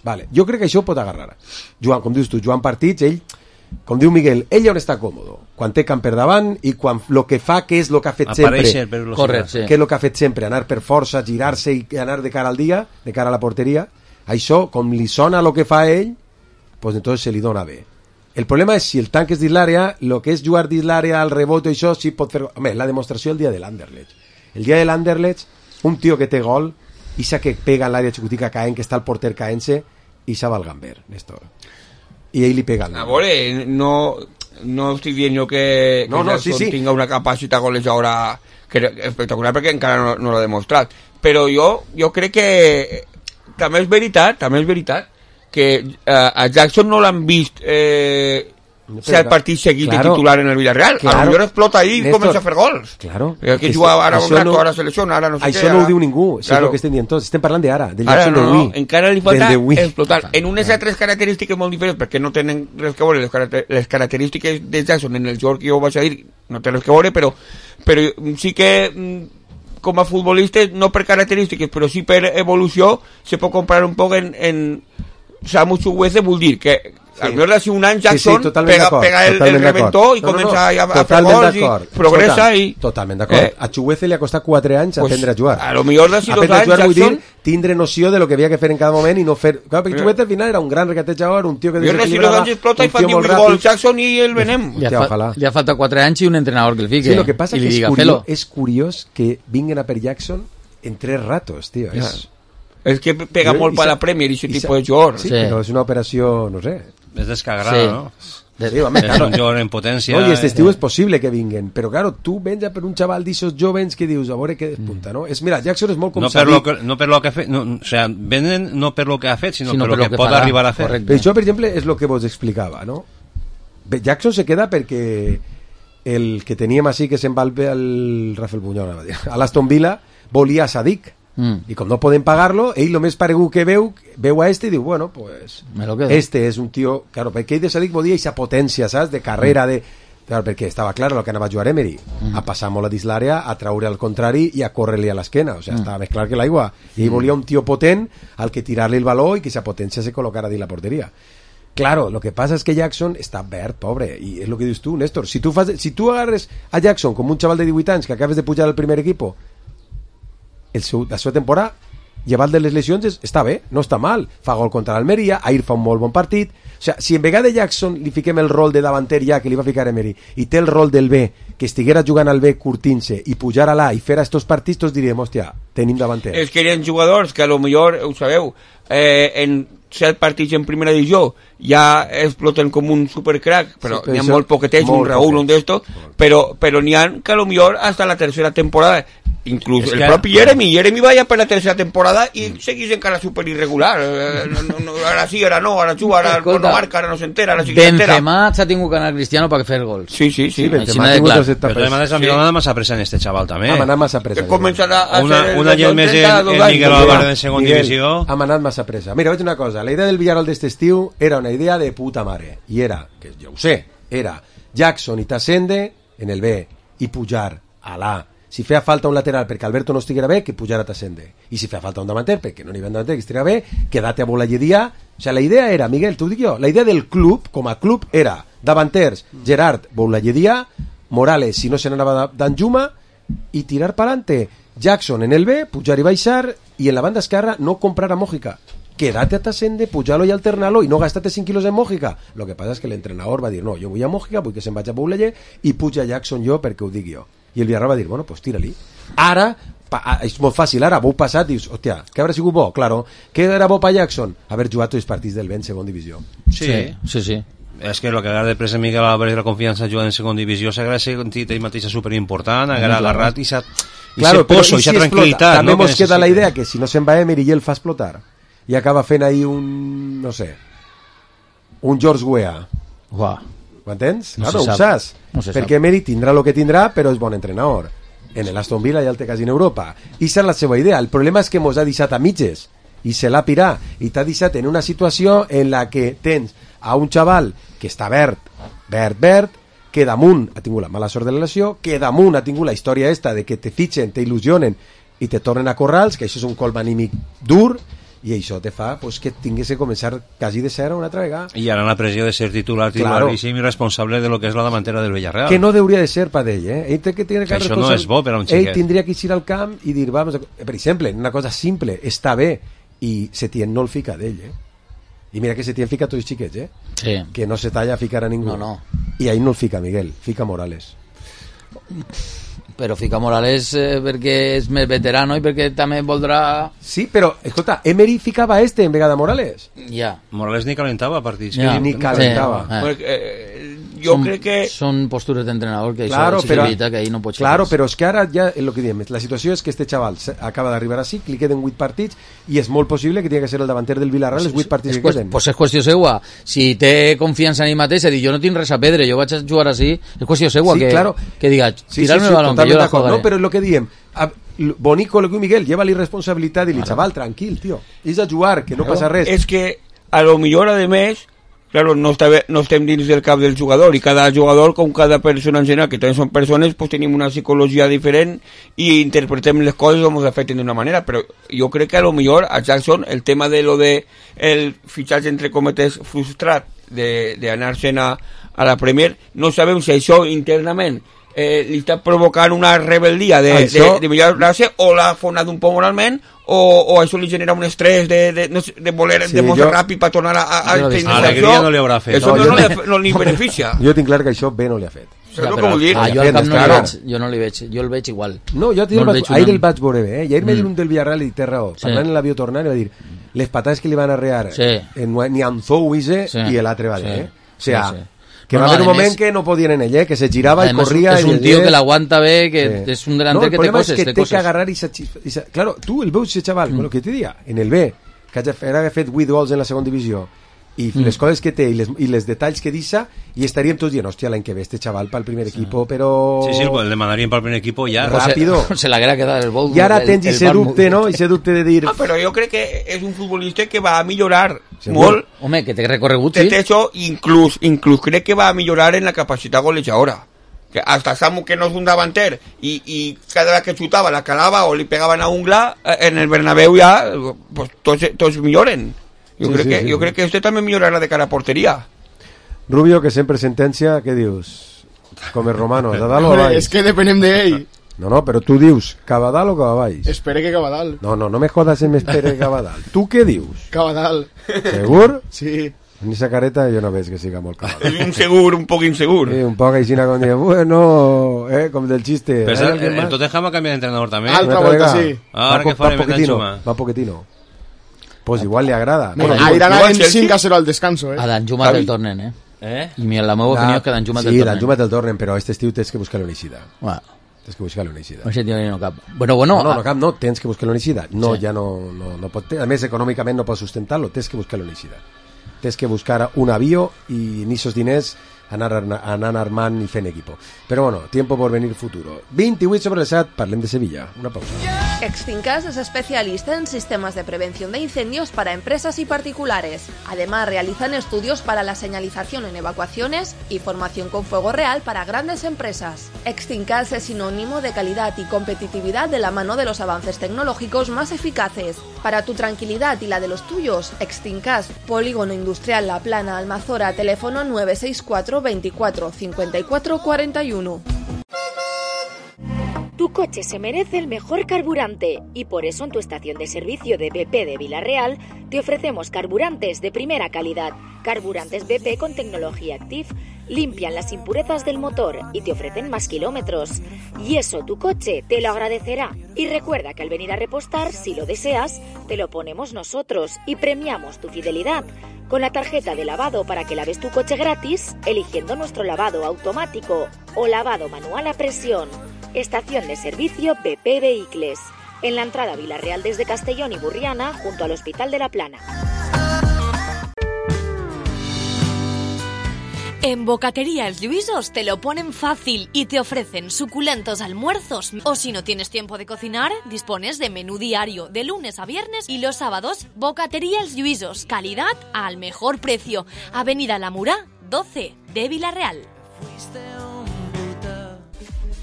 D: Vale. Jo crec que això ho pot agarrar. Joan, com dius tu, Joan partits, ell, com diu Miguel, ell on està còmodo, quan té camp per davant i quan el que fa, què és el que ha fet
H: Apareixer,
D: sempre,
F: correr, sí.
D: què és el que ha fet sempre, anar per força, girar-se i anar de cara al dia, de cara a la porteria, això, com li sona el que fa ell, pues entonces se li dona bé. El problema és si el tanc és dins l'àrea, el que és jugar dins l'àrea, al rebot i això, sí pot fer... Home, la demostració el dia de l'Anderlecht. El dia de l'Anderlecht, un tio que té gol, i sa que pega en l'àrea xicotica caent, que està el porter caent-se, i sa va al gamber, Néstor. I ell li pega el
G: A veure, no, no estic dient jo que,
D: no,
G: que
D: no, sí, sí.
G: tinga una capacitat golejadora espectacular, perquè encara no, no l'ha demostrat. Però jo, jo crec que també és veritat, també és veritat, que eh, a Jackson no l'han vist eh, ser el partit seguit claro, de titular en el Villarreal. Claro, a lo millor explota ahí i comença a fer gols.
D: Claro.
G: Que juga ara un rato, ara selecciona, ara no sé
D: això
G: què.
D: Això no ho diu ningú,
G: claro.
D: és el que estem dient tots. Estem parlant d'ara, del
G: ara
D: Jackson
G: no,
D: de Wii.
G: No, encara li falta explotar. En unes altres característiques molt diferents, perquè no tenen res que veure les, caracter les característiques de Jackson en el joc que jo vaig a dir, no tenen res que veure, però, però sí que com a futbolistes, no per característiques, però sí per evolució, se pot comparar un poc en... en Samu Chukwueze vol dir que
D: Sí.
G: al millor d'ací un any Jackson
D: sí, sí,
G: pega, pega el, el reventó i
D: no,
G: comença
D: no, no.
G: a, a fer
D: Totalment
G: gols i
D: d'acord.
G: progressa
D: Escolta,
G: i...
D: Totalment d'acord.
G: Eh?
D: A Chukwueze li ha costat quatre anys
G: Pues,
D: aprendre a jugar.
G: a lo millor d'ací dos
D: Aprendre a
G: anys,
D: jugar vull
G: Jackson-
D: dir tindre noció de lo que havia que fer en cada moment i no fer... Clar, perquè
G: Eh.
D: Chukwueze al final era un gran regatejador, un tio que
G: Jo d'ací dos
D: desequilibrava,
G: anys explota i
D: un
G: fa
D: tio molt
G: divuit gols
D: ràpid.
G: Jackson i el venem.
F: Li ha,
D: Hòstia,
F: fa,
D: ojalà.
F: li ha faltat quatre anys i un entrenador que el fique.
D: Sí, lo que passa
F: i
D: que
F: li
D: és
F: diga,
D: curiós,
F: "Felo".
D: és curiós que vinguin a per Jackson en tres ratos, tio.
G: Ja.
D: És...
G: És que pega
D: Jo-
G: molt
D: i
G: per
D: sa-
G: la Premier i aquest
D: i sa-
G: tipus de jugador.
D: Sí, però és una operació, no sé...
H: És descagrada,
F: Sí.
H: no?
D: Sí, home,
H: és
D: claro.
H: un jugador en potència.
D: No, I aquest estiu
H: eh?
D: és possible que vinguen, però claro, tu vens a per un xaval d'aixos jovens que dius, a veure què despunta, no? És, mira, Jackson és molt com
H: No per,
D: Sadik.
H: lo que, no per lo que ha fet, no, o sea, venen no per lo que ha fet, sinó,
F: Sinó
H: per lo que, pot
F: farà.
H: arribar a fer.
F: Correcte.
D: Però això, per exemple, és el que vos explicava, no? Bé, Jackson se queda perquè el que teníem així que se'n va al, al Rafael Buñol, anava a dir, a l'Aston Villa, volia a Sadik.
F: Mm.
D: I com no poden pagar-lo, ell el més paregut que veu, veu a este i diu, bueno, pues
F: Me lo quedo.
D: este és un tio, claro, perquè ell de Sadik volia aquesta potència, saps? De carrera, de... Claro, perquè estava clar el que anava a jugar Emery,
F: Mm.
D: a passar molt a dins l'àrea, a traure al contrari i a córrer-li a l'esquena, o sigui,
F: Mm.
D: estava més clar que l'aigua. I ell volia un tio potent al que tirar-li el baló i que esa potència se col·locara dins la porteria. Claro, lo que pasa es que Jackson està verd, pobre, i és lo que dius tu, Néstor. Si tu, fas, si tu agarres a Jackson com un xaval de divuit anys que acabes de pujar al primer equipo, el seu, la seva temporada, llevat de les lesions, és- està bé, no està mal. Fa gol contra l'Almeria, ahir fa un molt bon partit. O sigui, si en vegada de Jackson li fiquem el rol de davanter ja que li va ficar Emery i té el rol del B, que estiguera jugant al B curtint-se i pujar a l'A i fer estos partits, tots diríem, hòstia, tenim davanter.
G: És que hi ha jugadors que a lo millor, ho sabeu, eh, en set partits en primera divisió ja exploten com un supercrack, però
D: Sí,
G: n'hi ha
D: això-
G: molt poquetets, un
D: molt
G: Raúl,
D: poquets.
G: un d'estos, però, però n'hi ha que a lo millor hasta la tercera temporada, inclús
H: És
G: el
H: que-
G: propi Jeremy, Jeremy va ja per la tercera temporada i seguís encara super irregular, eh, no, no, no, ara sí, ara no, ara juga, ara
F: Escolta,
G: no marca, ara no s'entera, ara sí que s'entera.
F: Benzema s'ha tingut que anar Cristiano per fer gols.
G: Sí, sí, sí.
D: Sí, Benzema
F: Així
D: ha
F: de
D: tingut
F: clar.
D: els etapes.
H: Però además, a mi
G: Sí.
H: m'ha massa pressa en este xaval també.
D: Hem anat massa pressa.
G: Que començarà a
H: Una-
G: ser...
H: un any més en- en Miguel Álvarez en segona divisió.
D: Hem anat massa pressa. Mira, vaig dir una cosa. La idea del Villarreal d'este estiu era una idea de puta mare. I era, que jo ho sé, era Jackson i Tassende en el B i pujar a l'A. Si feia falta un lateral perquè Alberto no estiguera bé, que pujara Tassende. I si feia falta un davanter perquè no n'hi havia un davanter que estiguera bé, quedate a Bolayedia. O sea, la idea era, Miguel, t'ho dic jo, la idea del club, com a club, era davanters, Gerard, Bolayedia, Morales, si no se n'anava d'Anjuma, i tirar pa'lante. Jackson en el B, pujar i baixar, i en la banda esquerra no comprar a Mójica. Quédate a Tassende, pujar-lo i alternar-lo i no gastate cinc quilos en Mójica. Lo que passa és que l'entrenador va dir, no, jo vull a Mójica, vull que se'n vagi a Boulaye i puja Jackson jo perquè ho dic jo. I el Villarreal va dir, bueno, pues tira-li. Ara, pa, és molt fàcil, ara, vau passat, dius, hòstia, què haurà sigut bo? Claro, què era bo pa Jackson? Haver jugat tots els partits del B en segona divisió.
H: Sí,
F: sí, sí.
H: És que el que agarra de presa Miguel Álvarez la confiança jugant en segona divisió s'agrada sentit ell mateixa superimportant, agarra agarrat i s'ha
D: Claro, però
H: poso,
D: i
H: i s'ha
D: si explota?
H: tranquil·litat.
D: També
H: no,
D: mos
H: que
D: queda la
H: necessita.
D: idea que si no se'n va Emery i el fa explotar i acaba fent ahí un, no sé, un George Weah.
F: Uah.
D: Ho entens?
F: No
D: claro,
F: se
D: ho
F: sap.
D: saps.
F: No se
D: Perquè
F: sap.
D: Emery tindrà el que tindrà, però és bon entrenador. En el Aston Villa ja el té quasi en Europa. I és la seva idea. El problema és que mos ha deixat a mitges i se l'ha pirat i t'ha deixat en una situació en la que tens a un xaval que està verd, verd, verd, que damunt ha tingut la mala sort de la lesió, que damunt ha tingut la història esta de que te fitxen, te il·lusionen i te tornen a corrals, que això és un colp anímic dur, i això te fa pues, que tinguis que començar quasi de zero una altra vegada.
H: I ara la pressió de ser titular, titularíssim i responsable de lo que és la davantera del Villarreal.
D: Que no hauria de ser per ell, eh? Ell té que tenir
H: Que això no és bo per a un xiquet.
D: Ell tindria que ir al camp i dir, vamos a... per exemple, una cosa simple, està bé, i Setién no el fica d'ell, eh? I mira que Setién fica tots els xiquets, eh?
F: Sí.
D: Que no se talla a ficar a ningú.
F: No, no.
D: I ahí no el fica Miguel, fica Morales.
F: Però fica Morales eh, perquè és més veterano i perquè també voldrà...
D: Sí, però, escolta, Emery ficava este en vegada Morales.
F: Ja.
H: Morales ni calentava partits.
F: Ja.
H: Que
D: Ni calentava.
F: Sí, eh.
G: Perquè, eh, jo
F: Són-
G: crec que...
F: Són postures d'entrenador que
D: Claro,
F: això
D: però,
F: possibilita que ahir no pots fer
D: claro,
F: res.
D: però és que ara ja, el que diem, la situació és que este xaval se- acaba d'arribar així, li queden vuit partits i és molt possible que tingui que ser el davanter del Villarreal els vuit partits
F: És
D: que
F: qüest-
D: queden.
F: pues és qüestió seua. Si té confiança en ell mateix, dir, jo no tinc res a perdre, jo vaig a jugar així, és qüestió seua
D: Sí,
F: que,
D: claro.
F: que diga,
D: Sí,
F: tirarme
D: sí, sí,
F: el balón, que
D: totalment
F: jo la
D: d'acord,
F: jugaré.
D: no? Però és el que diem, a, l- bonico lo que Miguel, lleva-li responsabilitat i li, xaval, tranquil, tio, és a jugar, que no passa res.
G: És que a lo millor, a més, claro, no, està, no estem dins del cap del jugador, i cada jugador, com cada persona en general, que també són persones, pues tenim una psicologia diferent i interpretem les coses o ens afecten d'una manera, però jo crec que a lo millor a Jackson el tema de lo de el fitxatge entre cometes frustrat d'anar-se'n a, a la Premier, no sabem si això internament eh, li està provocant una rebel·lia de, això... de, de millorar-se o l'ha fonat un poc moralment o, o això li genera un estrès de, de, no sé, de voler sí, demostrar jo... ràpid per tornar a, a, a
H: no, alegria no li haurà fet
G: això
H: no,
G: no, no,
H: no,
G: li, no li beneficia.
D: Jo tinc clar que això bé no li ha fet.
F: Ja, però, ah, jo, al camp no li veig, jo no li veig, jo el veig igual.
D: No, jo no el vaig, ahir el vaig veure bé, eh? I ahir mm. me dir un del Villarreal i té raó,
F: sí.
D: parlant en l'avió tornant i va dir les patades que li van arrear
F: sí.
D: en, ni Anzou Ise
F: sí.
D: i l'altre va dir,
F: sí.
D: eh? O sea,
F: sí, sí.
D: que no, va haver no, un moment més, que no podien en ell, eh? Que se girava i corria.
F: És un tio que l'aguanta bé, que sí. és un delanter
D: no,
F: que té coses.
D: El problema és que té que agarrar i... i claro, tu el veus, ese xaval, mm. con lo que te dia, en el B, que ha fet vuit gols en la segona divisió, i mm. les coses que té i les, i les detalls que deixa, i estaríem tots dient, hòstia, l'any que ve este chaval pel primer sí. equipo, però...
H: Sí, sí, el demanaríem pel primer equipo ja.
D: Ràpido.
F: Se, se l'haguera quedat el bol.
D: I ara tens ese dubte, no? Ese dubte de dir...
G: Ah, però jo crec que és un futbolista que va a millorar
D: Segur.
G: molt.
F: Home, que té recorregut,
G: sí.
F: sí.
G: Això, inclús, inclús crec que va a millorar en la capacitat golejadora. Que hasta Samu, que no és un davanter, i, i cada vegada que xutava la calava o li pegaven a un gla, en el Bernabéu ja pues, tots, tots milloren. Jo, sí, crec, sí, que, sí, jo sí. crec que usted també millorarà de cara a porteria.
D: Rubio, que sempre sentencia, què dius? Com el romano, de dalt o a baix?
E: És que depenem d'ell.
D: No, no, però tu dius, cap a dalt o cap a baix?
E: Espere que cap a dalt.
D: No, no, no me jodas en espere cap a dalt. Tu què dius?
E: Cap a dalt.
D: Segur?
E: Sí.
D: En esa careta jo no veig que siga molt cap a dalt.
G: Un segur, un poc insegur.
D: Sí, un poc així, com dir, bueno, eh, com del xiste.
H: Però el, el Tottenham ha canviat d'entrenador també.
E: Altra volta, sí.
H: Ah, ara que farem el Danjuma.
D: Va Pochettino. Pues igual le agrada.
E: Bueno, ahí irán en cinco a cero al descanso, eh.
F: A Danjuma del tornen, eh.
H: Eh?
F: I mira, la meva opinió és que Danjuma del
D: tornen. Sí,
F: tornen.
D: Danjuma del tornen, però este estiu tens que buscar-lo en eixida.
F: Bueno.
D: Tens que buscar-lo en eixida.
F: Això tio no cap. Bueno, bueno.
D: No, no, no cap, no, tens que buscar-lo en eixida. No,
F: sí.
D: ja no, no, no pot... A més, econòmicament no pots sustentar-lo, tens que buscar-lo en eixida. Tens que buscar un avió i en esos diners anar, anar armant i fent equipo. Però bueno, tiempo por venir futuro. veintiocho sobre el set, parlem de Sevilla. Una pausa.
L: Extincas es especialista en sistemas de prevención de incendios para empresas y particulares. Además, realizan estudios para la señalización en evacuaciones y formación con fuego real para grandes empresas. Extincas es sinónimo de calidad y competitividad de la mano de los avances tecnológicos más eficaces. Para tu tranquilidad y la de los tuyos, Extincas, Polígono Industrial La Plana, Almazora, teléfono nueve seis cuatro veinticuatro cincuenta y cuatro cuarenta y uno.
P: Tu coche se merece el mejor carburante y por eso en tu estación de servicio de B P de Villarreal te ofrecemos carburantes de primera calidad. Carburantes B P con tecnología Active limpian las impurezas del motor y te ofrecen más kilómetros. Y eso tu coche te lo agradecerá. Y recuerda que al venir a repostar, si lo deseas, te lo ponemos nosotros y premiamos tu fidelidad con la tarjeta de lavado para que laves tu coche gratis eligiendo nuestro lavado automático o lavado manual a presión. Estación de servicio B P Vehicles, en la entrada Villarreal desde Castellón y Burriana, junto al Hospital de la Plana.
Q: En Bocatería Els Lluïsos te lo ponen fácil y te ofrecen suculentos almuerzos. O si no tienes tiempo de cocinar, dispones de menú diario de lunes a viernes y los sábados. Bocatería Els Lluïsos, calidad al mejor precio. Avenida La Murá, doce de Villarreal.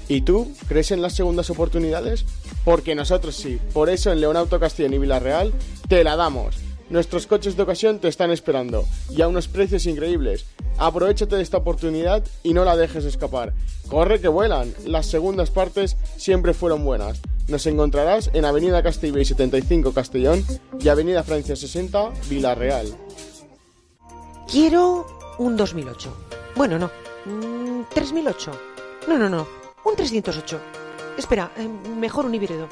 E: ¿Y tú crees en las segundas oportunidades? Porque nosotros sí. Por eso en Leonauto Castellón y Villarreal te la damos. Nuestros coches de ocasión te están esperando y a unos precios increíbles. Aprovechate de esta oportunidad y no la dejes escapar. Corre que vuelan. Las segundas partes siempre fueron buenas. Nos encontrarás en Avenida Castellbell setenta y cinco Castellón y Avenida Francia sesenta Villarreal.
I: Quiero un dos mil ocho. Bueno, no. Mm, tres mil ocho. No, no, no. Un trescientos ocho. Espera, eh, mejor un híbrido.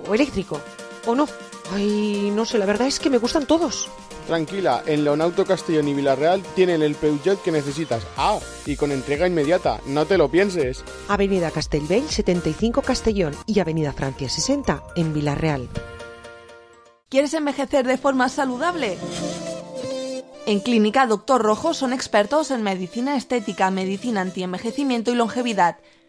I: O, o eléctrico. O no. Ay, no sé, la verdad es que me gustan todos.
E: Tranquila, en Leonauto Castellón y Villarreal tienen el Peugeot que necesitas. Ah, y con entrega inmediata, no te lo pienses.
I: Avenida Castellbell setenta y cinco Castellón y Avenida Francia sesenta en Villarreal.
L: ¿Quieres envejecer de forma saludable? En Clínica Doctor Rojo son expertos en medicina estética, medicina antienvejecimiento y longevidad.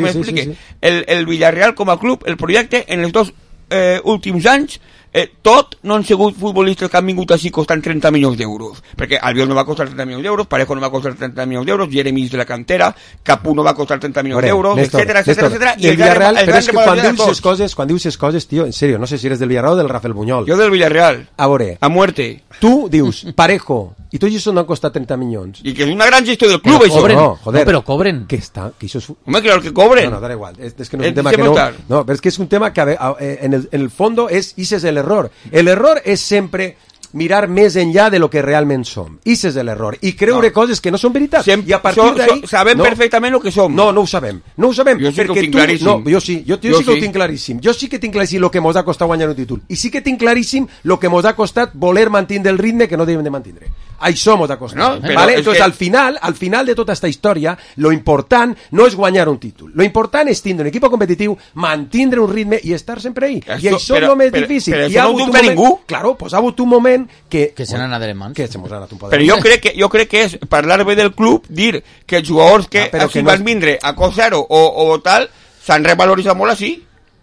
G: sí,
D: sí,
G: m'explique.
D: sí, sí.
G: El, el Villarreal com a club, el projecte, en els dos eh, últims anys, eh, tot no han sigut futbolistes que han vingut així costant trenta milions d'euros, perquè Albiol no va costar trenta milions d'euros, Parejo no va costar trenta milions d'euros, Jeremy de la cantera, Capú no va costar trenta milions d'euros, etcètera, etcètera, etcètera,
D: i el Villarreal, però és que quan dius les coses, quan dius les coses, tio, en serio, no sé si eres del Villarreal o del Rafael Buñol.
G: Jo del Villarreal.
D: A veure,
G: a muerte.
D: Tu dius Parejo, i tots ells no han costat trenta milions.
G: I que és una gran gestió del club, això.
D: No, joder.
F: No, però cobren.
D: Que està, que això és...
G: Home, claro que cobren.
D: No, no, da igual. És, és que no és un tema que no... No, però és que és un tema que en el, en el fondo és, ese és l'error. L'error és sempre mirar més enllà de lo que realment som. Ese és l'error. I creure no. coses que no són veritat.
G: Sem
D: I a partir
G: so,
D: d'ahí...
G: So, sabem
D: no,
G: perfectament el que som.
D: No, no ho sabem. No ho sabem.
G: Jo sí que ho tinc
D: tu,
G: claríssim.
D: No, jo sí. Jo, jo, jo sí que
G: sí.
D: ho tinc claríssim. Jo sí que tinc claríssim el que mos ha costat guanyar un títol. I sí que tinc claríssim el que mos ha costat voler mantenir el ritme que no devem de mantenir. Això mos ha costat. No, ¿vale? Entonces, que... al final, al final de tota esta història, lo important no és guanyar un títol. Lo important és tindre un equip competitiu, mantenir un ritme i estar sempre ahí. Això, I això és el més
G: però,
D: difícil.
G: Però,
D: I
G: però no ho dubta ningú.
D: Claro, pues ha hagut un moment que...
F: Que se n'han anat de les mans.
D: Que se mos ha anat un poc.
G: Però jo crec, que, jo crec que és parlar bé del club, dir que els jugadors que
D: ah,
G: així
D: que
G: van
D: no...
G: vindre a cost zero o, o tal, s'han revaloritzat molt així.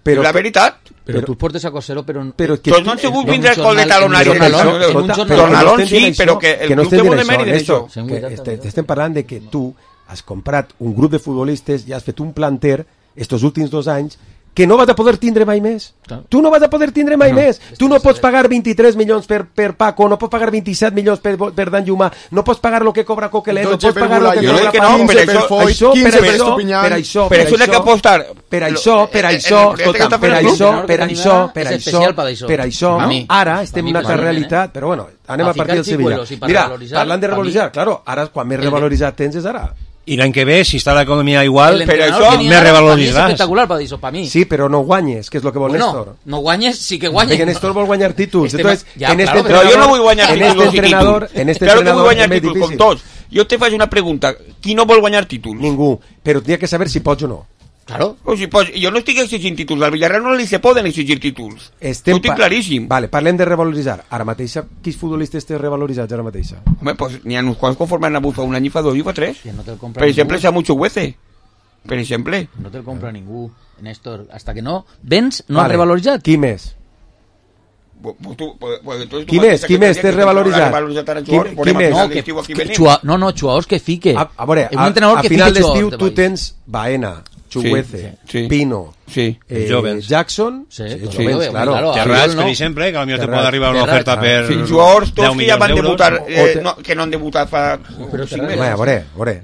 G: Però la veritat...
F: Però, però tu portes a cost zero, però...
G: però que, doncs no han sigut vindre al col de talonari. Tornalón, sí, però que el club té molt de mèrit d'això.
D: Estem parlant de que tu has comprat un grup de futbolistes i has fet un planter estos últims dos anys que no vas a poder tindre mai més. Claro. Tu no vas a poder tindre mai no. més. Tu no pots pagar vint-i-tres milions per, per Paco, no pots pagar vint-i-set milions per, per Dan Llumà, no pots pagar el que cobra Coquelin, no pots pagar el que cobra
G: Paco. No, per això,
D: això, per això, per això,
G: per això, que apostar.
D: Per això, per això, escolta, per això, per això, per això, per això, ara estem en una altra realitat, però bueno, anem a partir del Sevilla. Mira, parlant de revaloritzar, claro, ara quan més revaloritzat tens és ara.
H: I l'any que ve, si està l'economia igual,
F: però
H: això me revaloritzaràs.
F: És espectacular per això, per mi.
D: Sí, però no guanyes, que és el que vol
F: bueno,
D: Néstor.
F: No guanyes, sí que guanyes.
D: Perquè Néstor vol guanyar títols.
F: Este
D: Entonces,
F: ja,
D: en
F: claro,
D: este
G: però jo no vull guanyar
D: en
G: títols.
D: Este entrenador, en este
G: claro
D: entrenador
G: que vull guanyar
D: és més
G: títols,
D: difícil.
G: com tots. Jo te faig una pregunta. Qui no vol guanyar títols?
D: Ningú. Però tenia que saber si pots o no.
G: Claro. O si pots, jo no estic exigint títols, al Villarreal no li se poden exigir títols.
D: Estem
G: ho tinc claríssim.
D: Vale, parlem de revaloritzar. Ara mateixa, quins futbolistes té revaloritzats ara mateixa?
G: Home, pues n'hi ha uns quants conforme han hagut fa un any i fa dos i fa tres.
F: No te
G: per exemple, Samucho Huece. Per exemple.
F: No te'l compra ningú, Néstor. Hasta que no vens, no vale. Has revaloritzat.
D: Qui més?
G: Pues tu, pues, pues, tu
D: qui més? Qui més té revaloritzat? Qui, qui més?
F: No, que, que, xua, no, no, jugadors que fique.
D: A, a veure, a, a final d'estiu tu tens Baena, Chuguece, sí, sí. Pino,
G: sí.
D: Eh, Jackson,
F: sí,
D: sí,
F: sí,
D: sí,
F: claro.
H: Terrats, per exemple, que potser te pot arribar una oferta per
G: sí, jugadors tots que ja van debutar, eh, no, que no han debutat fa cinc mesos.
D: A veure, a veure.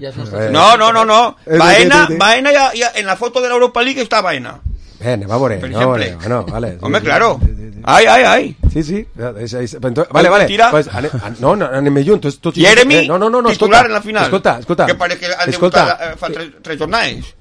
G: No, no, no, no. Baena, Baena ja, ja, en la foto de l'Europa League està Baena.
D: Eh, anem a veure,
G: per
D: exemple.
G: No,
D: no, vale.
G: Home, claro. Ai, ai, ai.
D: Sí, sí. Es, es, vale, vale. Pues, ane, an, no, no, anem junts. Tot,
G: Jeremy,
D: eh, no, no, no, no,
G: titular en la final.
D: Escolta, escolta.
G: Que parece que han debutat eh, fa tres, tres jornades.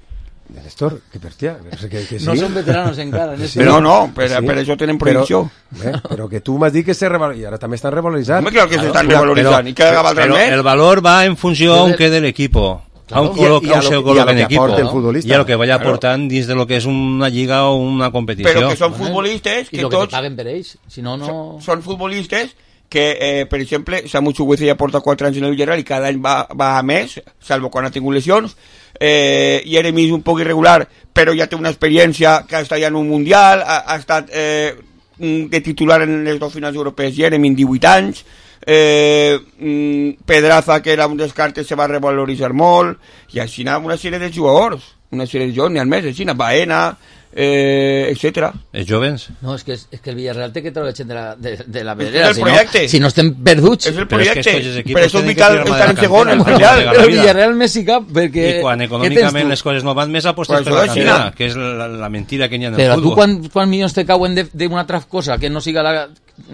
D: Néstor, que hòstia, que, que sí.
F: No són veteranos encara.
G: Sí. Però no, per, sí. per això tenen prohibició.
D: Però, eh, però que tu m'has dit que se revaloritzan, i ara també estan revaloritzant.
G: Home, claro que s'estan revaloritzant. I cada vegada
H: més. El valor va en funció aunque del equipo.
D: Claro.
H: Aún coloca,
D: y, y, a lo,
H: se
D: y
H: coloca
D: a lo
H: en equipo
D: ¿no?
H: y a lo que vaya claro. aportando desde lo que es una liga o una competición.
G: Pero que son futbolistas que,
F: y lo
G: tots,
F: que te paguen per ells, si no, no...
G: Son, son futbolistas que, eh, per exemple, Samucho Huece ja porta quatre anys en el Villarreal i cada any va, va a més, salvo quan ha tingut lesions. Eh, Jeremy és un poc irregular, però ja té una experiència que ha estat ja en un Mundial, ha, ha estat eh, de titular en les dues finals europees Jeremy en divuit anys. Eh, Pedraza, que era un descarte, se va revaloritzar molt, i així una sèrie de jugadors, una sèrie de jugadors, n'hi ha més, així, Baena, eh, etcètera.
H: Els jovens?
F: No, és que, és que el Villarreal té que treure gent de la, de, de la pedrera,
G: és el projecte.
F: Si no, si no estem perduts.
G: És el projecte,
H: però és que
G: per això és vital estar en segon, el Villarreal.
F: El Villarreal més hi cap, perquè...
H: I quan econòmicament les coses no van més apostes per la cantera, que és la, la mentira que n'hi ha en el
F: però
H: futbol.
F: Però tu quan, quan milions te cauen d'una altra cosa que no siga la...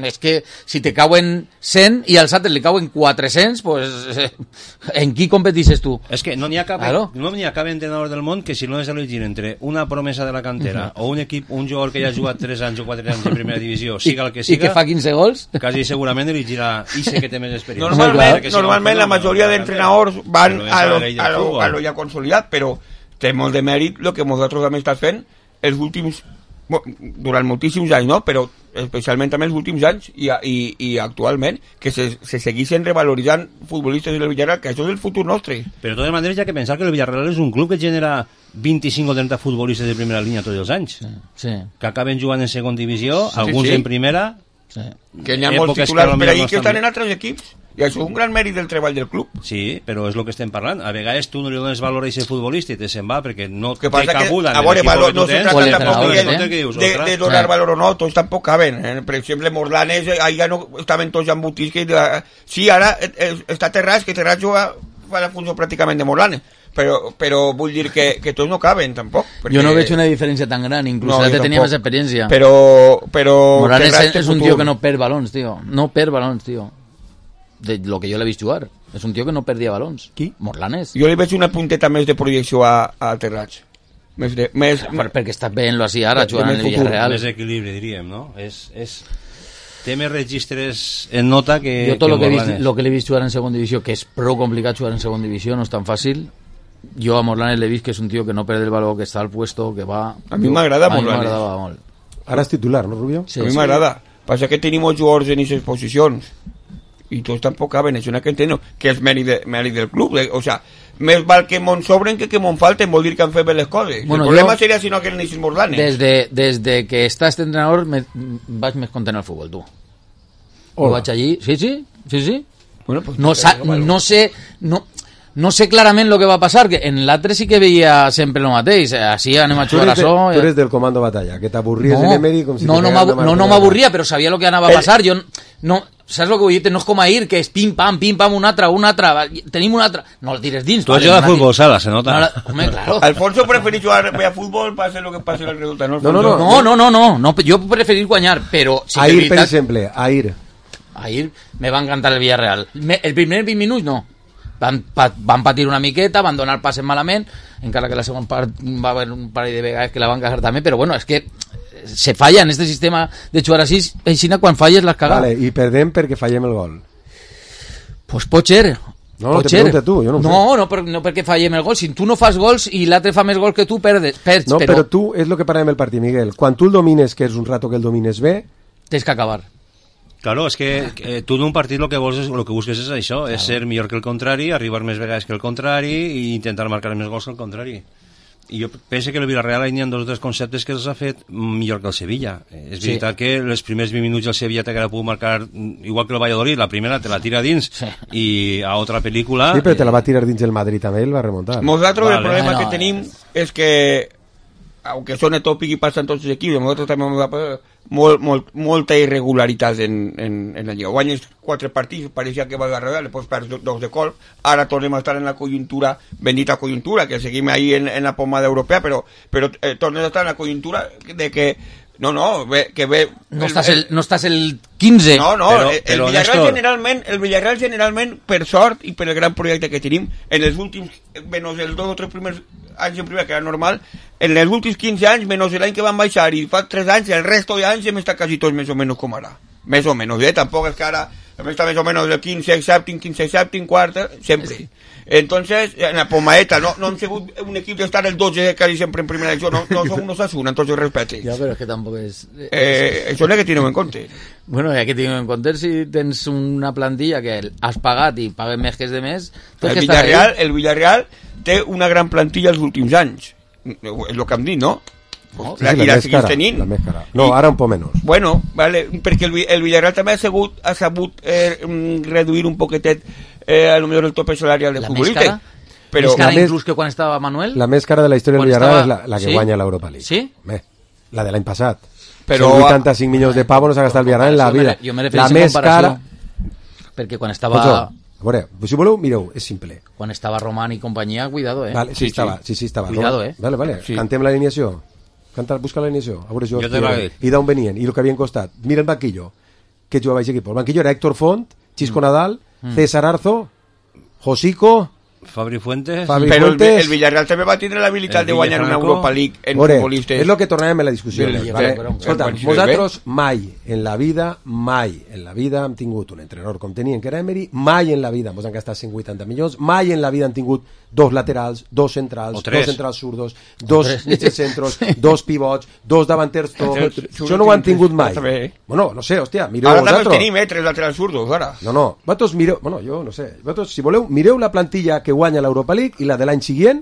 F: És que si te cauen cent i als altres li cauen quatre-cents, pues, eh, en qui competixes tu?
H: És que no n'hi ha cap, claro. no n'hi ha cap entrenador del món que si no és elegir entre una promesa de la cantera uh -huh. o un equip, un jugador que ja ha jugat tres anys o quatre anys en primera divisió, siga el que siga,
F: i que fa quinze gols,
H: quasi segurament elegirà i sé que té més experiència.
G: Normalment, no, normalment la majoria d'entrenadors van a lo, a, lo, a lo ja consolidat, però té molt de mèrit el que nosaltres hem estat fent els últims, durant moltíssims anys, no? Però especialment també els últims anys i, i, i actualment, que se, se segueixen revaloritzant futbolistes del Villarreal, que això és el futur nostre.
H: Però de totes maneres hi ha que pensar que el Villarreal és un club que genera vint-i-cinc o trenta futbolistes de primera línia tots els anys,
F: sí, sí.
H: que acaben jugant en segon divisió,
G: sí,
H: alguns
G: sí.
H: en primera,
F: sí.
G: que n'hi ha molts titulars per ahí que estan en altres equips, i això és un gran mèrit del treball del club.
H: Sí, però és el que estem parlant. A vegades tu no li dones valor a aquest futbolista i te se'n va perquè no
G: que
H: té cabuda
G: a veure, valor, no se trata tampoc
H: de,
G: de, de donar valor o no, tots tampoc caben. Eh? Per exemple, Morlanes, ahí ja no estaven tots embotits. Que, sí, ara eh, està Terrats, que Terrats juga fa la funció pràcticament de Morlanes. Però, però vull dir que, que tots no caben tampoc perquè...
F: Jo no veig una diferència tan gran, inclús no, ja tenia més experiència,
G: però, però
F: Morales és, és un tio que no perd balons, tio, no perd balons, tio, de lo que jo l'he vist jugar, és un tio que no perdia balons.
G: Qui?
F: Morlanes.
G: Jo li veig una punteta més de projecció a, a Terrats, més de, més,
F: per, perquè està bé lo així ara jugant en el Villarreal,
H: més equilibri diríem, no? És, és... té més registres en nota que
F: jo tot
H: que
F: lo que, vist, lo que l'he vist jugar en segon divisió, que és prou complicat jugar en segon divisió, no és tan fàcil. Jo a Morlanes l'he vist que és un tio que no perd el valor, que està al puesto, que va...
G: A mi m'agrada Morlanes.
F: Molt.
D: Ara és titular, no, Rubio?
G: Sí, a mi sí. m'agrada. Passa que tenim molts jugadors en aquestes posicions i tots tampoc caben, és una que entenc que és mèrit, de, mèrit del club. O sea, més val que m'on sobren que que m'on falten, vol dir que han fet bé les coses. Bueno, el problema jo, seria si no que n'hi Morlanes.
F: Des de, des de que està este entrenador me, vaig més content al futbol, tu. Ho vaig allí, sí, sí, sí, sí.
G: Bueno, pues,
F: no, sa, no sé... No, No sé clarament lo que va a passar, que en l'altre sí que veia sempre el mateix, així anem a jugar a so...
D: Tu eres del comando batalla, que t'avorries
F: no,
D: en Emery com si...
F: No, no, no, no m'avorria, però sabia lo que anava a passar, jo... No, saps el que vull dir? No és com ahir, que és pim-pam, pim-pam, un altre, un altre, tenim un altre... No el tires dins.
H: Tu has jugat a futbol sala, se nota.
F: No, home, claro.
G: Alfonso preferís jugar a futbol, passa lo que passa el resultat, no?
F: No, no, no, no, no, no, no, no jo preferís guanyar, però...
D: Sí ahir, veritat, per exemple, ahir.
F: Ahir me va encantar el Villarreal. Me, el primer vint minuts, no. Van, pa, van patir una miqueta, van donar passes malament, encara que la segona part va haver un parell de vegades que la van cagar també, però bueno, és que se falla en este sistema de jugar així, així quan falles l'has cagat.
D: Vale, i perdem perquè fallem el gol.
F: Pues pot ser.
D: No,
F: pot
D: te
F: ser.
D: pregunta tu, jo no ho
F: no,
D: sé.
F: No, per, no perquè fallem el gol, si tu no fas gols i l'altre fa més gols que tu, perdes. perds,
D: no,
F: però...
D: però tu, és el que parlem el partit, Miguel, quan tu el domines, que és un rato que el domines bé...
F: Tens que acabar.
H: Claro, és que eh, tu d'un partit el que vols és, el que busques és això, claro. És ser millor que el contrari, arribar més vegades que el contrari i intentar marcar més gols que el contrari. I jo penso que el Villarreal hi ha dos o tres conceptes que els ha fet millor que el Sevilla. Eh, és sí. veritat que els primers vint minuts el Sevilla t'haguera pogut marcar igual que el Valladolid, la primera te la tira dins sí. I a altra pel·lícula...
D: Sí, però te la va tirar dins el Madrid també, el va remuntar.
G: Nosaltres vale. El problema bueno, que tenim és que aunque suene tópico y pasa en todos los equipos, nosotros también hemos dado molt, molt, molta irregularitat en, en, en la Lliga. Guanyes quatre partits, pareixia que va agarrar, després perds dos de colp, ara tornem a estar en la conjuntura, bendita conjuntura, que seguim ahí en, en la pomada europea, però, però eh, tornem a estar en la conjuntura de que no, no, ve, que ve...
F: No, el, estàs el, no estàs el quinze.
G: No, no,
H: però,
G: el,
H: però
G: el, Villarreal generalment, el Villarreal generalment, per sort i per el gran projecte que tenim, en els últims, menys els dos o tres primers anys en primera, que era normal, en els últims quinze anys, menys l'any que van baixar i fa tres anys, el resto d'anys hem estat quasi tots més o menys com ara. Més o menys, eh? Tampoc és que ara hem estat més o menys el quinze, sèptim, quinze, sèptim, quarta, sempre. Entonces, en la pomaeta, no, no hem sigut un equip d'estar el dotze casi sempre en primera edició, no, no som unos Asuna, entonces respecte.
F: Ja, però és que tampoc és...
G: Eh, això és el que tenim en compte.
F: Bueno, ja que tenim en compte, si tens una plantilla que has pagat i pagues més que és de més...
G: El Villarreal, el Villarreal té una gran plantilla els últims anys. És el que hem dit, no?
D: No, la, sí, la, la, cara, la més cara. No, I, ara un poc menys.
G: Bueno, vale, perquè el, el Villarreal també ha sabut, ha sabut eh, reduir un poquetet eh, a lo millor el tope salarial de futbolista.
F: Però més cara més, inclús que quan estava Manuel?
D: La més cara de la història del Villarreal
F: estava...
D: és la, la que
F: ¿Sí?
D: guanya l'Europa League.
F: Sí?
D: Bé, la de l'any passat.
G: Però...
D: cent vuitanta-cinc milions de pavos no s'ha gastat el Villarreal en la vida.
F: Jo me
D: la més cara...
F: Perquè quan estava...
D: Pues, a veure, si voleu, mireu, és simple.
F: Quan estava Román i companyia, cuidado, eh?
D: Vale, sí, sí, estava, sí, sí, estava.
F: Cuidado,
D: no?
F: eh?
D: Vale, vale, sí. Cantem l'alineació. Canta, busca l'alineació. A veure, jo,
H: jo te
D: i d'on venien, i el que havien costat. Mira el banquillo, que jugava aquest equip. El banquillo era Héctor Font, Chisco mm. Nadal, mm. César Arzo, Josico...
H: Fabri Fuentes.
D: Fabri
G: però
D: Fuentes.
G: El, el Villarreal també va tindre l'habilitat de guanyar una Europa League en
D: Ore,
G: futbolistes.
D: És el que tornàvem en la discussió.
G: Sí,
D: vale?
G: però,
D: Escolta, nosaltres mai en la vida, mai en la vida hem tingut un entrenador com tenien que era Emery, mai en la vida ens han gastat cent vuitanta milions, mai en la vida han tingut dos laterals, dos centrals, dos centrals zurdos, dos mitjos centros, dos pivots, dos davanters tots. Això no ho han tingut mai. Bueno, no sé, hòstia, mireu
G: ara
D: vosaltres.
G: Ara tenim, eh, tres laterals zurdos, ara.
D: No, no, vosaltres mireu, bueno, jo no sé, vosaltres, si voleu, mireu la plantilla que guanya l'Europa League i la de l'any següent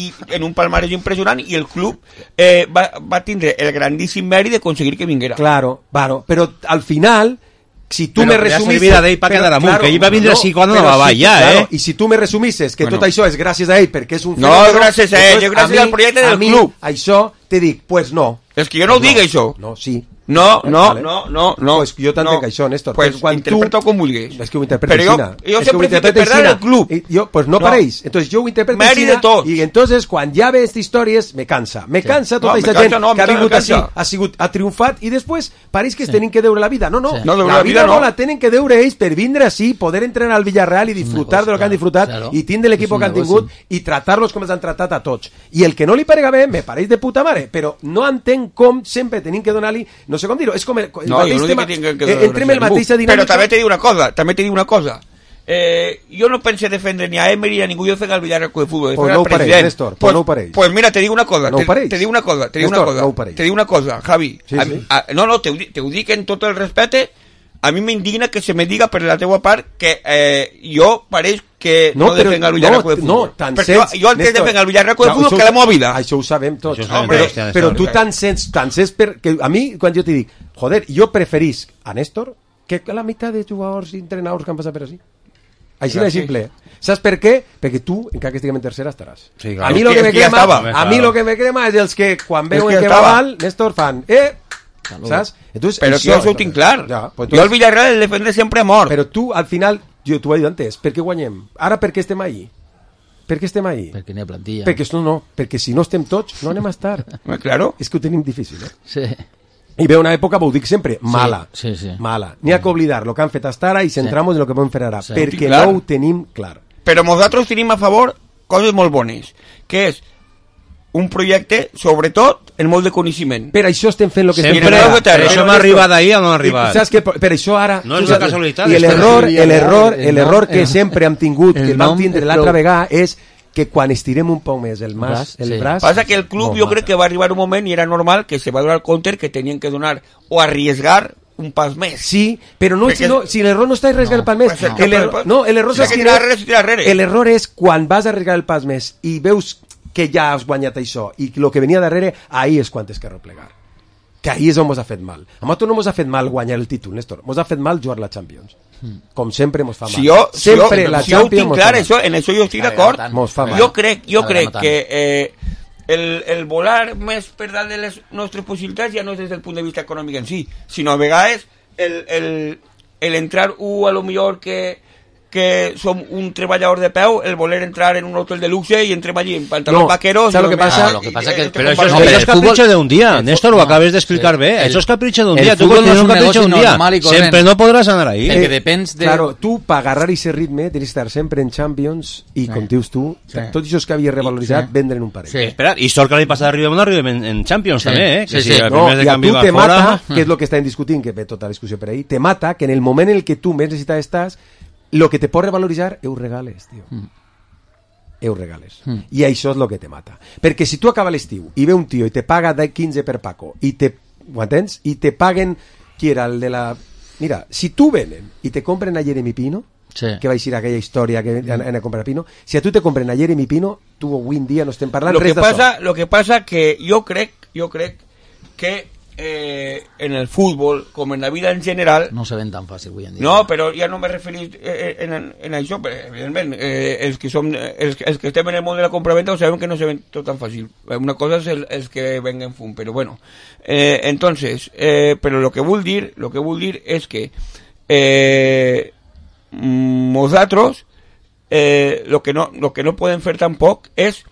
G: i en un palmarès impressionant, i el club eh, va, va tindre el grandíssim mèrit de aconseguir que vinguera.
D: Claro, bueno, però al final si tu
H: Però
D: me
H: que ja
D: resumisses...
H: servia d'ell pa quedar amunt, que ell va vindre així quan no va
D: si,
H: ja,
D: claro,
H: eh?
D: I si tu me resumisses que
H: Bueno.
D: tot això és gràcies a ell perquè és un
G: No,
D: fenòmeno,
G: gràcies a ell,
D: doncs
G: gràcies
D: mi-
G: al projecte del
D: a mi,
G: club.
D: Això te dic, pues no.
G: És que jo no ho dic, això.
D: No, sí.
G: No, no,
D: Vale.
G: no, no, no.
D: Pues jo t'entenc
G: no.
D: això, Néstor.
G: Pues
D: Perquè quan
G: interpreta
D: tu...
G: com vulguis.
D: És que ho interpreta
G: Però jo,
D: Xina.
G: jo
D: És que
G: sempre
D: ho interpreta
G: fico perdre
D: Xina.
G: el club.
D: Y yo, pues no,
G: No.
D: paréis. Entonces yo ho interpreto
G: Mèrit
D: Xina
G: de tot.
D: y entonces quan ja ve estas històries me cansa. Me cansa tota
G: No,
D: aquesta
G: me
D: gent
G: cansa, no,
D: que ha
G: me
D: vingut així,
G: cansa.
D: ha sigut, ha triomfat i després pareix que es tenen que deure la vida. No, no.
G: No, deure
D: la,
G: la
D: vida
G: vida
D: no.
G: no.
D: la tenen que deure ells per vindre així, poder entrenar al Villarreal i disfrutar de lo que han disfrutat
F: claro.
D: i tindre l'equip
F: És un
D: que han
F: negoci.
D: tingut i tratar-los com els han tratat a tots. I el que no li parega bé me pareix de puta mare, però no entenc com sempre tenim que donar-li, no sé com dir-ho, és com el, el
G: No,
D: mateix
G: jo no dic
D: tema,
G: que tinguin que
D: eh,
G: donar
D: entrem el
G: ningú.
D: mateixa dinàmica.
G: Però també te dic una cosa, també te dic una cosa. Eh, jo no pense defendre ni a Emery ni a ningú, jo fent al Villarreal Club de Fútbol.
D: Pues
G: defendre
D: no
G: al
D: ho pareix,
G: president.
D: Néstor, pues
G: pues,
D: no ho pareix.
G: Pues mira, te dic una cosa,
D: No ho
G: te,
D: pareix.
G: te dic una cosa, te dic
D: Néstor,
G: una cosa,
D: no ho pareix.
G: te dic una cosa, Javi.
D: Sí,
G: a,
D: sí.
G: a, no, no, te, ho di- te ho dic en tot el respecte. A mi m'indigna que se me diga per la teua part que eh, jo pareix que no,
D: No,
G: no
D: però-
G: defenc el Villarreal
D: no,
G: Club de
D: no,
G: Fútbol.
D: tan
G: Perquè
D: sents,
G: jo, jo el que
D: Néstor.
G: defenc el Villarreal Club de
D: Ja,
G: Fútbol
D: això
G: que la
D: ho-
G: meva vida.
D: Això ho sabem tots.
H: Això ho sabem
G: Hombre,
H: tots, ja,
D: Però
H: Néstor.
D: tu tan sents, tan sents per, que a mi, quan jo t'hi dic, joder, jo preferís a Néstor que la meitat de jugadors i entrenadors que han passat per així. Així de
G: Gràcies.
D: simple. Saps per què? Perquè tu, encara que estiguem en tercera, estaràs.
H: Sí,
D: A
H: claro.
D: mi
G: És
D: lo
G: que-
D: que me
G: és que ja
D: crema,
G: estava.
D: a mi lo que me crema és els que quan veuen
G: que
D: que,
G: ja
D: va
G: estava.
D: mal, Néstor fan, eh, saps? Entonces,
G: Però que jo això ho tinc clar.
D: Ja, pues
G: Jo el
D: entonces-
G: Villarreal el defendré sempre a mort.
D: Però tu, al final, jo t'ho he dit antes, per què guanyem? Ara per què estem ahí? Per què estem ahí?
F: Perquè n'hi ha plantilla.
D: Perquè, no, no, perquè si no estem tots, no anem a estar.
G: Eh, Claro.
D: És que ho tenim difícil, eh?
F: Sí.
D: I ve una època, ho dic sempre, mala.
F: Sí, sí.
D: Mala. N'hi ha que oblidar el que han fet hasta ara i centramos en el que podem fer ara,
F: Sí.
D: perquè
G: Clar.
D: no ho tenim clar.
G: Però nosaltres tenim a favor coses molt bones, que és un projecte, sobretot, en molt de coneixement.
D: Per això estem fent el que estem
H: Sempre,
D: fent ara.
H: per això hem arribat ahir on no hem
D: I
H: arribat.
D: saps que per, per això ara...
H: No és
D: tu
H: una
D: saps-
H: casualitat,
D: I
H: és que
D: l'error,
F: sí,
D: el error,
F: el
D: el
F: nom,
D: error que
F: el-
D: sempre hem tingut, que
F: el
D: el vam
F: nom
D: tindre
F: és
D: l'altra
F: prou-
D: vegada, és que quan estirem un poc més el, mas,
F: braç,
D: el
F: sí.
D: braç...
G: Passa que el club jo crec que va arribar un moment i era normal que se va donar compte que tenien que donar o arriesgar un pas més.
D: Sí, però no,
G: Perquè-
D: si, no, si l'error no està arriesgar el pas més.
G: pues el
D: el
G: que-
D: error, no, l'error
G: Si
D: és
G: hay que tirar darrere, se tira darrere.
D: el error és quan vas a arriesgar el pas més i veus que ja has guanyat això i el que venia darrere, ahí és quan tens que replegar. Que ahí és on mos ha fet mal. A nosaltres no mos ha fet mal guanyar el títol, Néstor. Mos ha fet mal jugar la Champions. Com sempre mos fa mal.
G: Si jo, si jo,
D: sempre la
G: si jo ho
D: Champions
G: tinc
D: mos
G: clar,
D: fa mal.
G: això, en això jo estic
F: Vale,
G: d'acord.
F: tant.
D: Mos fa mal.
G: Jo crec, jo
F: Vale,
G: crec
F: no tant.
G: que eh, el, el volar més per dalt de les nostres possibilitats ja no és des del punt de vista econòmic en si, sinó a vegades el, el, el entrar u a lo millor que que som un treballador de peu, el voler entrar en un hotel de luxe y entrem allí en pantalons
D: No,
G: vaqueros.
D: ¿sabes lo que pasa?
F: Ah, lo que pasa que-
H: Pero eso, es-
F: No,
H: eso
F: pero
H: es
F: el fútbol-
H: capricho de un día,
F: el
H: Néstor,
F: fu-
H: lo
F: no,
H: acabes de explicar
F: sí.
H: bien.
F: El-
H: Eso es capricho de un
F: el
H: día. Tú
F: fútbol
H: cuando
F: no
H: tienes
F: es
H: un
F: un
H: capricho de un
F: negoci
H: día,
F: normal y correcte.
H: siempre no podrás anar ahí.
F: El que depens de...
D: Claro, tu, per agarrar aquest ritme, tens d'estar sempre en Champions i, com dius tu,
F: Sí.
D: tots això que havia revaloritzat,
F: Sí.
D: vendre en un parell.
F: Sí.
H: Espera, y sort que l'any passat arribem on arribem en, en Champions
F: Sí.
H: també, eh? Que
F: Sí,
H: si
F: sí.
H: el
D: No,
H: primer de
D: i a
H: canvi
D: tu
H: va
D: te
H: fora...
D: mata, que és el que estem discutint, que ve tota la discussió per ahí, te mata que en el moment en el que tu més necessitat estàs, lo que te pot revaloritzar, ho regales, tio.
F: Mm.
D: Ho regales. Mm. I això és el que te mata. Perquè si tu acaba l'estiu i ve un tio i te paga de quinze per Paco, i te, ho entens? I te paguen, qui era el de la... Mira, si tu venen i te compren a Jeremy Pino,
F: Sí.
D: que va a aquella història que han a comprar Pino, si a tu te compren a Jeremy Pino, tu avui en dia no estem parlant
G: lo que
D: res d'això.
G: pasa, lo que pasa que yo crec, yo crec que eh, en el fútbol, como en la vida en general,
F: No se ven tan fàcil avui en dia.
G: no, però ja no me referís eh, en, en, en això, però, evidentment, eh, els, que som, els, els que estem en el món de la compraventa ho sabem que no se ven tot tan fàcil. Una cosa és el, els que venguen fum, però bueno. Eh, entonces, eh, però lo que vull dir, lo que vull dir és que eh, nosaltres eh, lo que no lo que no podem fer tampoc és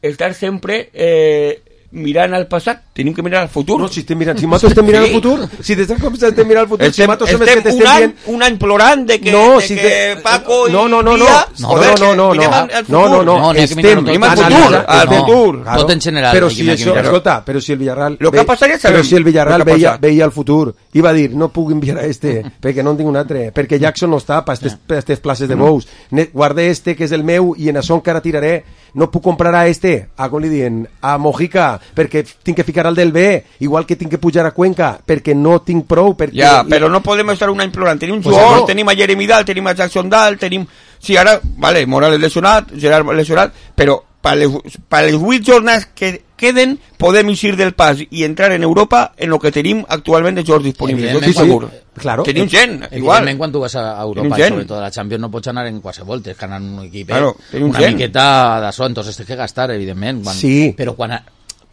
G: estar sempre eh, mirant al passat, tenim que mirar al futur.
D: No, si estem mirant, si nosaltres estem mirant
G: Sí.
D: el futur, si des de com estem mirant el futur, si
G: Estem,
D: nosaltres som els
G: estem
D: que
G: un,
D: t'estem
G: any,
D: dient...
G: un any plorant de que,
D: No,
G: de
D: si
G: que
D: te-
G: Paco i
D: no, no, no, no,
G: Villa,
D: no,
G: joder,
D: no, no, no,
G: que mirem
D: no,
G: al- al
D: no, no,
G: futur.
D: no,
F: No, n'hi ha que mirar-ho tot.
G: Anem al
D: analitzant-
G: futur, al
F: No.
G: futur.
F: Tot en general,
D: Però
F: aquí
D: si
F: n'hi ha que
D: això,
F: mirar-ho.
D: escolta, però si el Villarreal...
G: Lo que
D: ve-
G: ha passat ja
D: però
G: sabem
D: si el Villarreal
G: lo que ha
D: veia,
G: passat.
D: veia el futur i va dir, no puc enviar a este, perquè no en tinc un altre, perquè Jackson no està per aquestes places de bous. Ne- Guarde este, que és el meu, i en això encara tiraré. No puc comprar a este, a com li diuen, a Mojica, perquè tinc que ficar al del B, igual que tinc que pujar a Cuenca, perquè no tinc prou, perquè...
G: Ja, però no podem estar un any plorant. Tenim
D: Pues
G: jugadors,
D: no.
G: tenim a Jeremy Dal, tenim a Jackson Dal, tenim... Sí, ara, vale, Morales lesionat, Gerard lesionat, però per les, per les vuit jornades que queden, podem eixir del pas i entrar en Europa en el que tenim actualment de jocs disponibles. Jo estic segur.
D: Claro.
G: Tenim gent, igual.
F: Evidentment, quan tu vas a Europa, sobretot a la Champions, no pots anar en qualsevol, tens que anar en un equip,
G: claro,
F: una
G: gent.
F: miqueta d'això, entonces tens que gastar, evidentment. Quan,
D: sí.
F: Però quan,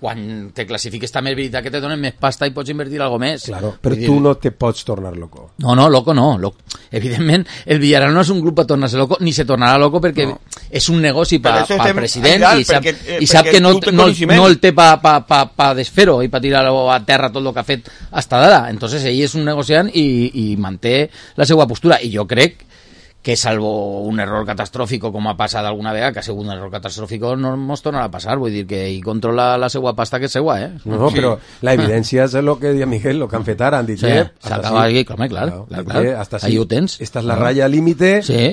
F: quan te classifiques també és veritat que te donen més pasta i pots invertir algo més.
D: Claro, però
F: dir,
D: tu no te pots tornar loco.
F: No, no, loco no. Loco. Evidentment, el Villarreal no és un grup per tornar-se loco, ni se tornarà loco perquè no. És un negoci per al president i sap, perquè, eh, i sap que no, no, no el té per pa, pa, pa desfer-ho i per tirar-lo a terra tot el que ha fet hasta d'ara. Entonces ell és un negociant i, i manté la seva postura. I jo crec que salvo un error catastròfico com ha passat alguna vegada, que ha sigut un error catastròfico, no ens tornarà a passar, vull dir que ell controla la seva pasta que és seva, eh?
D: No, no, sí. Però la evidència és el que deia Miguel, el que han fet ara, han dit,
F: sí,
D: eh,
F: s'acaba aquí, clar, clar, clar, clar.
D: Hasta
F: ahí ho tens.
D: Esta és la ratlla límite,
F: sí.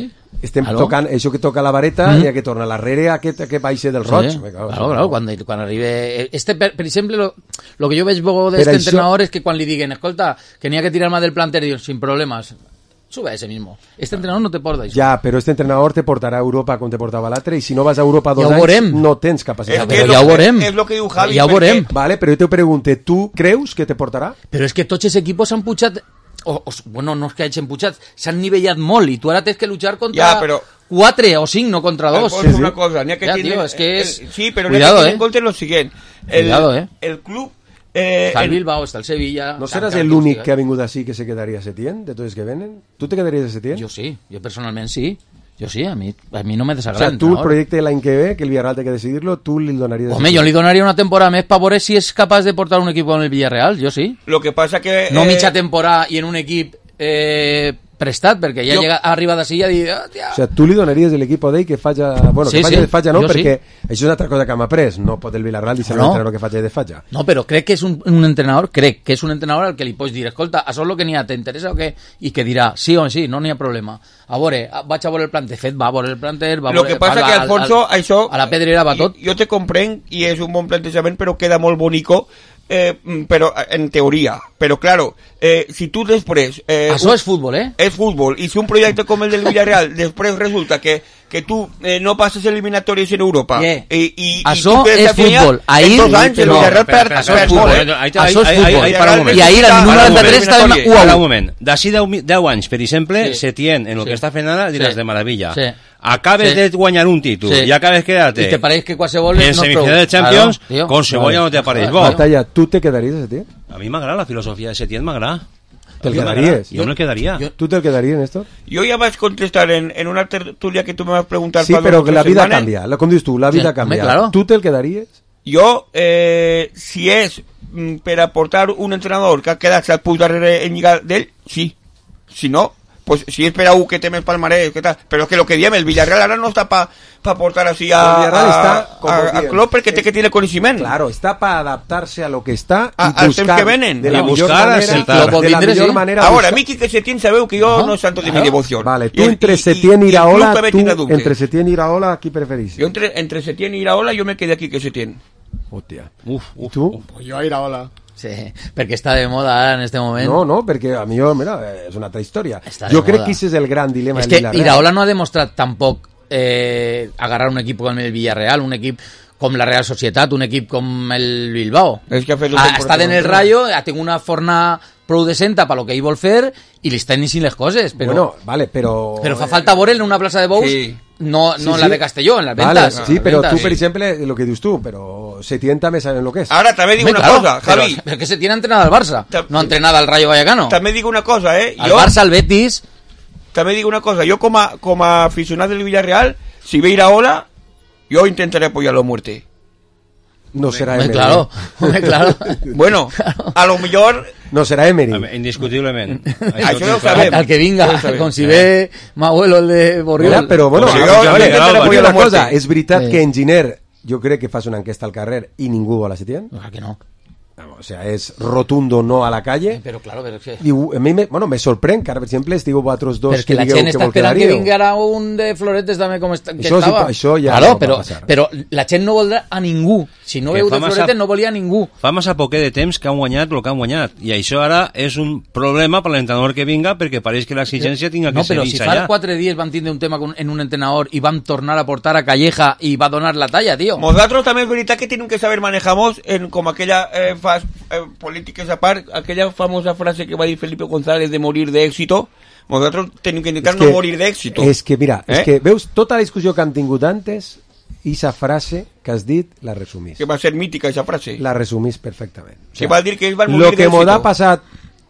D: Estem
F: claro.
D: tocant, això que toca la vareta, mm. i ha que tornar l'arrere a aquest que baixe del roig.
F: Sí. Claro, claro, claro, quan, quan arribe... Este, per, per exemple, lo, lo que jo veig d'este
D: això...
F: entrenador és que quan li diguen, escolta, que n'hi ha que tirar más del planter, diuen, sin problemas, sube a ese mismo. Este entrenador no te porta això.
D: Ja, però este entrenador te portarà a Europa com te portava l'altre, i si no vas a Europa dos
F: ja
D: anys, no tens capacitat.
F: És ja ho veurem.
G: És lo que diu Javi.
F: Ja ho veurem.
D: Vale, però jo te pregunte, tu creus que te portarà?
F: Però és que tots els equipos s'han pujat... O, o, bueno, no és que hagin pujat, s'han nivellat molt, i tu ara tens que luchar contra...
G: Ja, però...
F: quatre o cinc, no contra dos.
G: Sí, sí. Una cosa, n'hi ha que
F: ja,
G: tiene,
F: tío, es que és...
G: el, sí, però
F: Cuidado,
G: n'hi ha que
F: eh?
G: en compte lo siguiente. El,
F: Cuidado, eh?
G: El club... Eh,
F: està el Bilbao, està el Sevilla...
D: No seràs l'únic que ha vingut així que se quedaria a Setién, de tots que venen? Tu te quedaries a Setién?
F: Jo sí, jo personalment sí. Jo sí, a mi, a mi no me desagrada.
D: O sea, tu el projecte l'any que ve, que el Villarreal té que decidir-lo, tu li donaries...
F: Home, jo li donaria una temporada més per veure si és capaç de portar un equip con el Villarreal, jo sí.
G: Lo que pasa que...
F: No
G: eh...
F: mitja temporada i en un equip... Eh, prestat, perquè ja jo... llega, arriba d'ací i ja diu... Oh,
D: o sea, tu li donaries l'equip d'ell que faja... Bueno,
F: sí,
D: que faja
F: sí,
D: de faja no,
F: jo
D: perquè
F: sí.
D: això és una altra cosa que hem après. No pot el Villarreal dir-se no. l'entrenador que faja de faja.
F: No, però crec que és un, un entrenador, crec que és un entrenador al que li pots dir, escolta, això és el que n'hi ha, t'interessa o què? I que dirà, sí o sí, no n'hi ha problema. A veure, vaig a veure el planter, fet, va a veure el planter, va a
G: Lo
F: veure...
G: que passa que, Alfonso,
F: al, al,
G: això...
F: A la pedrera va tot.
G: Jo te comprenc i és un bon plantejament, però queda molt bonico. Eh, però en teoria, però claro, eh, si tu després eh,
F: això un, és futbol, eh?
G: És futbol, i si un projecte com el del Villarreal després resulta que, que tu eh, no passes eliminatòries en Europa
F: yeah.
G: i, i,
F: això
G: i
F: és futbol, ahir
G: en dos anys el Villarreal perd,
F: això és futbol, això és futbol,
H: i
F: ahir el número noranta-tres està en u a u.
H: Un moment, d'ací deu anys, per exemple,
F: sí.
H: Setién, en el
F: sí.
H: que està fent ara, diràs
F: sí.
H: de meravella.
F: Sí.
H: Acabes
F: sí.
H: de guanyar un títol
F: sí.
H: i acabes quedarte
F: i te pareix que qualsevol
H: en
F: no
H: semifinal de Champions claro, con cebolla vale. No te apareix bo.
D: Batalla, tu te quedaries a Setién?
H: A mi m'agrada la filosofia de Setién, m'agrada.
D: Te'l quedaries?
H: Jo me'l quedaria.
D: Tu te'l quedaries, Néstor?
G: Jo ja vaig contestar en, en una tertúlia que tu me vas preguntar
D: sí, però que la vida canvia, com dius tu, la vida sí, canvia.
F: Claro.
D: Tu te'l quedaries?
G: Jo, eh, si és mm, per aportar un entrenador que ha quedat se't puig darrere en lligar d'ell, sí. Si no, pues si és per a un que té més palmarès, que tal. Però és que lo que diem, el Villarreal ara no està pa, pa portar así a, a,
D: está,
G: a, a Klopp perquè té que tiene coneixement.
D: Claro, está para adaptarse a lo que está
G: a,
D: y buscar
G: que venen.
D: de la
H: y
D: millor
H: buscar
D: manera,
H: de,
D: de la millor manera.
G: Ahora, a mi que Setién sabeu que jo no és santo de mi devoció.
D: Vale, tú entre Setién y Iraola, tú entre Setién y Iraola, ¿aquí preferís?
G: Yo entre, entre Setién y Iraola, yo me quedé aquí que Setién.
D: Hòstia.
H: Uf, uf,
D: ¿Y tú?
H: Uf.
E: Pues yo a Iraola.
F: Sí, perquè està de moda ara en este moment.
D: No, no, perquè a mi, mira, és una altra història. Jo crec que ese és el gran dilema
F: és
D: del
F: Villarreal. És que Iraola no ha demostrat tampoc eh, agarrar un equip com el Villarreal, un equip com la Real Societat, un equip com el Bilbao.
G: És que ha fet
F: ha estat en el Rayo, ha tingut una forna prou decenta per lo que ell vol fer i li estan iniciant les coses, però,
D: bueno, vale, però...
F: però fa falta veure en una plaça de bous, sí. no, no sí, en la de Castelló, en las ventas.
D: Vale, sí, però
F: ventas,
D: tu,
F: sí.
D: per exemple, lo que dius tu, però Setién també saben lo que és.
G: Ara també dic una
F: claro,
G: cosa, Javi.
F: Però, però que Setién ha entrenat al Barça, no ha entrenat al Rayo Vallecano.
G: També dic una cosa, eh?
F: Al jo, Barça, al Betis...
G: També dic una cosa, jo com a, com a aficionat del Villarreal, si ve Iraola, jo intentaré apoyarlo a muerte.
D: No será
F: Emery.
D: Claro,
F: claro.
G: Bueno, claro. A lo mejor...
D: No será Emery.
H: Indiscutiblement.
G: Això no ho sabem.
F: Al que vinga, com si ve m'abuelo el de Borriol.
D: Mira, però bueno,
G: jo, jo,
D: vale,
G: jo,
D: jo, una cosa, és veritat sí. que en Giner, jo crec que fas una enquesta al carrer i ningú vol a Setién?
F: Clar que no.
D: Vamos. o sea, es rotundo no a la calle.
F: Però, claro, però és que...
D: I a mi, me, bueno, me sorprèn que ara, per exemple, estigueu vosaltres dos
F: però que, que la gent està esperant que vinguera un de floretes també com est que
D: això,
F: estava.
D: Sí, això ja
F: claro,
D: no
F: però,
D: va passar.
F: Però la gent no voldrà a ningú. Si no
H: Que
F: veu de
H: fa massa-
F: floretes no volia a ningú.
H: Fa massa poquet de temps que han guanyat el que han guanyat i això ara és un problema per l'entrenador que vinga perquè pareix que l'exigència tinga que
F: No,
H: ser
F: però si
H: vista
F: fa
H: ja.
F: quatre dies van tindre un tema con, en un entrenador i van tornar a portar a Calleja i va donar la talla, tío.
G: Nosotros también es verdad que tienen que saber manejamos en como aquella eh, fas, eh, políticas aparte, aquella famosa frase que va a decir Felipe González de morir de éxito. Nosotros tenemos que intentar
D: És
G: no
D: que-
G: morir de éxito.
D: És que, mira,
G: ¿Eh?
D: és que veus tota la discussió que han tingut antes i esa frase que has dit la resumís.
G: Que va a ser mítica esa frase.
D: La resumís perfectament.
G: Que va a decir que ells van morir
D: Lo
G: de
D: que mos
G: éxito.
D: ha passat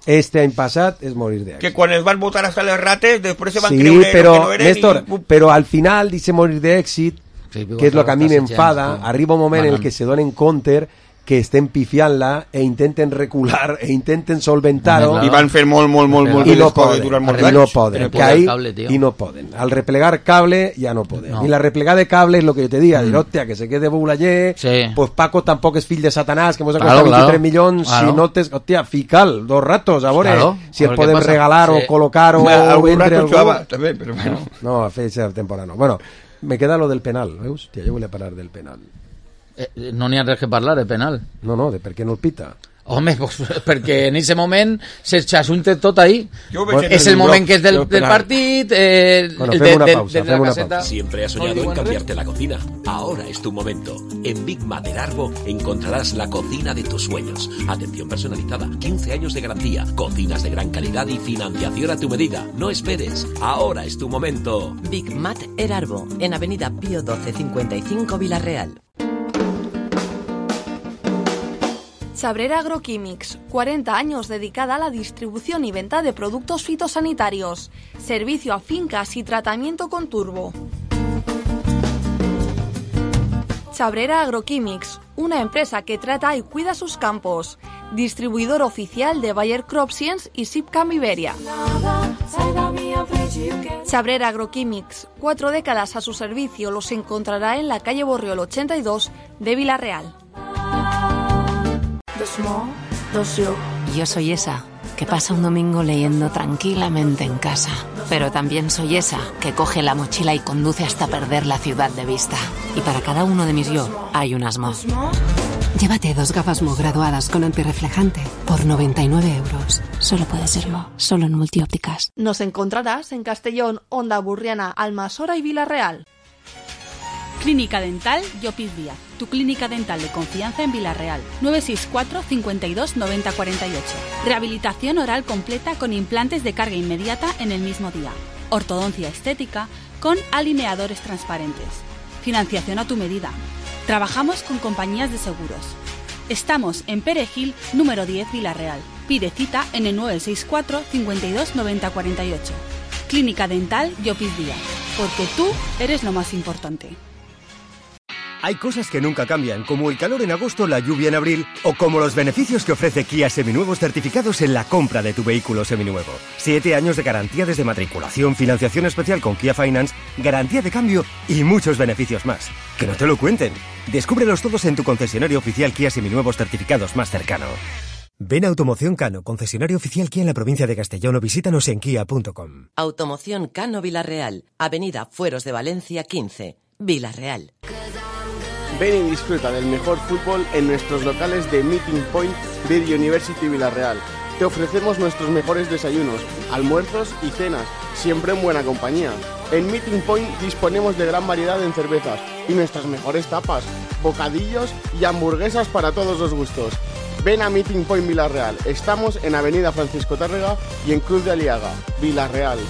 D: este any passat és morir de
G: Que cuando les van a votar hasta los rates, después se van a
D: Sí,
G: creer
D: però,
G: que no eren
D: Néstor,
G: y...
D: però al final dice morir d'èxit,
F: Sí,
D: que és el que a mi
F: Gonzalo
D: m'enfada,
F: Sánchez, sí.
D: arriba un moment en el
F: Manan.
D: que se donen compte que estem pifiant-la e intenten recular e intenten solventar-ho
G: I van fer molt, molt, molt, molt
D: i
G: bé
D: no
G: les coses
D: poden,
G: durant molts
D: i no
G: anys.
D: poden,
G: Replegar
D: que ahí,
G: cable, tío.
D: i no poden. Al replegar cable ya no poden.
F: No.
D: I la replegada de cable es lo que yo te diga, dir, hòstia, que se quede Boulanger,
F: Sí.
D: pues Paco tampoc és fill de Satanàs, que mos ha
F: Claro,
D: costat
F: claro.
D: veintitrés milions,
F: Claro.
D: si no te... Hòstia, fica'l, dos ratos, a veure
F: Claro,
D: si
F: a
D: el
F: ver qué
D: podem
F: pasa.
D: regalar
F: Sí.
D: o col·locar o
G: Bueno, algun
D: vendre
G: rato
D: algú.
G: jugava, també, però bueno.
D: No, a fer esa temporada no. Bueno, me queda lo del penal, veus? Hòstia, jo volia parlar del penal.
F: Eh, no n'hi ha res que parlar, de penal.
D: No, no, de per què no el pita.
F: Home, pues, perquè en aquest moment se xassunta tot ahí.
G: Jo veig en
F: És
G: el
F: el moment
G: bloc,
F: que és del,
G: jo
F: del
G: penal.
F: partit, eh,
D: Bueno,
F: el
D: fem
F: de,
D: una
F: de-
D: pausa,
F: de la
D: fem una
F: caseta.
D: pausa.
R: Siempre has
F: No
R: soñado en
F: digo
R: cambiarte la cocina. Ahora es tu momento. En Big Mat Arbo encontrarás la cocina de tus sueños. Atención personalizada, quince años de garantía, cocinas de gran calidad y financiación a tu medida. No esperes. Ahora es tu momento.
S: Big Mat Erarbo, en Avenida Pío doce cincuenta y cinco Villarreal.
K: Chabrera Agroquímics, cuarenta años dedicada a la distribución y venta de productos fitosanitarios. Servicio a fincas y tratamiento con turbo. Chabrera Agroquímics, una empresa que trata y cuida sus campos. Distribuidor oficial de Bayer Crop Science y Sipcam Iberia. Chabrera Agroquímics, cuatro décadas a su servicio, los encontrará en la calle Borriol ochenta y dos de Villarreal.
T: Yo soy esa que pasa un domingo leyendo tranquilamente en casa, pero también soy esa que coge la mochila y conduce hasta perder la ciudad de vista. Y para cada uno de mis yo hay un asmo.
U: Llévate dos gafas Mo graduadas con antirreflejante por noventa y nueve euros.
T: Solo puede ser Mo, solo en Multiópticas.
K: Nos encontrarás en Castellón, Onda Burriana, Almasora y Villarreal.
V: Clínica Dental Llopis Díaz, tu clínica dental de confianza en Villarreal. nueve seis cuatro, cincuenta y dos, noventa cuarenta y ocho. Rehabilitación oral completa con implantes de carga inmediata en el mismo día. Ortodoncia estética con alineadores transparentes. Financiación a tu medida. Trabajamos con compañías de seguros. Estamos en Perejil, número diez, Villarreal. Pide cita en el nueve seis cuatro, cincuenta y dos, noventa cuarenta y ocho. Clínica Dental Llopis Díaz, porque tú eres lo más importante.
W: Hay cosas que nunca cambian, como el calor en agosto, la lluvia en abril, o como los beneficios que ofrece Kia Seminuevos certificados en la compra de tu vehículo seminuevo. Siete años de garantía desde matriculación, financiación especial con Kia Finance, garantía de cambio y muchos beneficios más. Que no te lo cuenten. Descúbrelos todos en tu concesionario oficial Kia Seminuevos certificados más cercano. Ven a Automoción Cano, concesionario oficial Kia en la provincia de Castellón, o visítanos en kia punto com.
S: Automoción Cano Villarreal, Avenida Fueros de Valencia quince, Villarreal.
E: Ven y disfruta del mejor fútbol en nuestros locales de Meeting Point de University Villarreal. Te ofrecemos nuestros mejores desayunos, almuerzos y cenas, siempre en buena compañía. En Meeting Point disponemos de gran variedad en cervezas y nuestras mejores tapas, bocadillos y hamburguesas para todos los gustos. Ven a Meeting Point Villarreal. Estamos en Avenida Francisco Tárrega y en Cruz de Aliaga, Villarreal.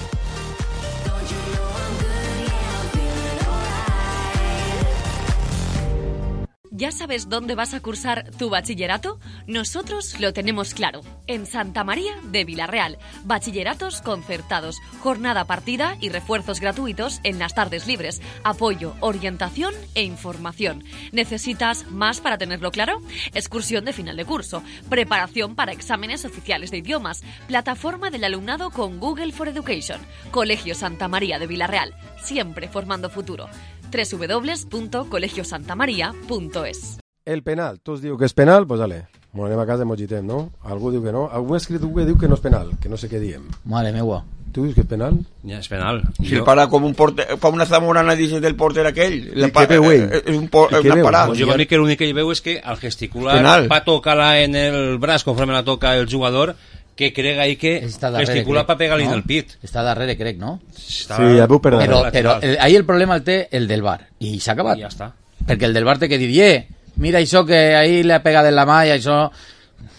Q: ¿Ya sabes dónde vas a cursar tu bachillerato? Nosotros lo tenemos claro. En Santa María de Villarreal. Bachilleratos concertados, jornada partida y refuerzos gratuitos en las tardes libres. Apoyo, orientación e información. ¿Necesitas más para tenerlo claro? Excursión de final de curso. Preparación para exámenes oficiales de idiomas. Plataforma del alumnado con Google for Education. Colegio Santa María de Villarreal. Siempre formando futuro. doble u doble u doble u punto colegio santa maría punto es.
D: El penal, tu us diu que és penal, pues dale. Bueno, anem a casa i mogitem, no? Algú diu que no. Algú ha escrit que diu que no és penal, que no sé què diem.
F: Mare meua.
D: Tu dius que és penal?
H: Ja, és penal.
G: Si el para com un porter, fa una zamorana dices del porter aquell.
D: I què veu ell?
G: És un por, una parada.
H: Pues jo per mi que l'únic que hi veu és que al gesticular
G: penal.
H: va tocar-la en el braç conforme la toca el jugador, que crega ahí que gesticula para pegar-li en el pit.
F: Està darrere, crec, no?
H: Està...
D: Sí, ja veu per
F: Però, però el, ahí el problema el té el del bar. I s'ha acabat.
H: I ja està.
F: Perquè el del bar té que dir, eh, mira això que ahí le ha pegado en la malla, això...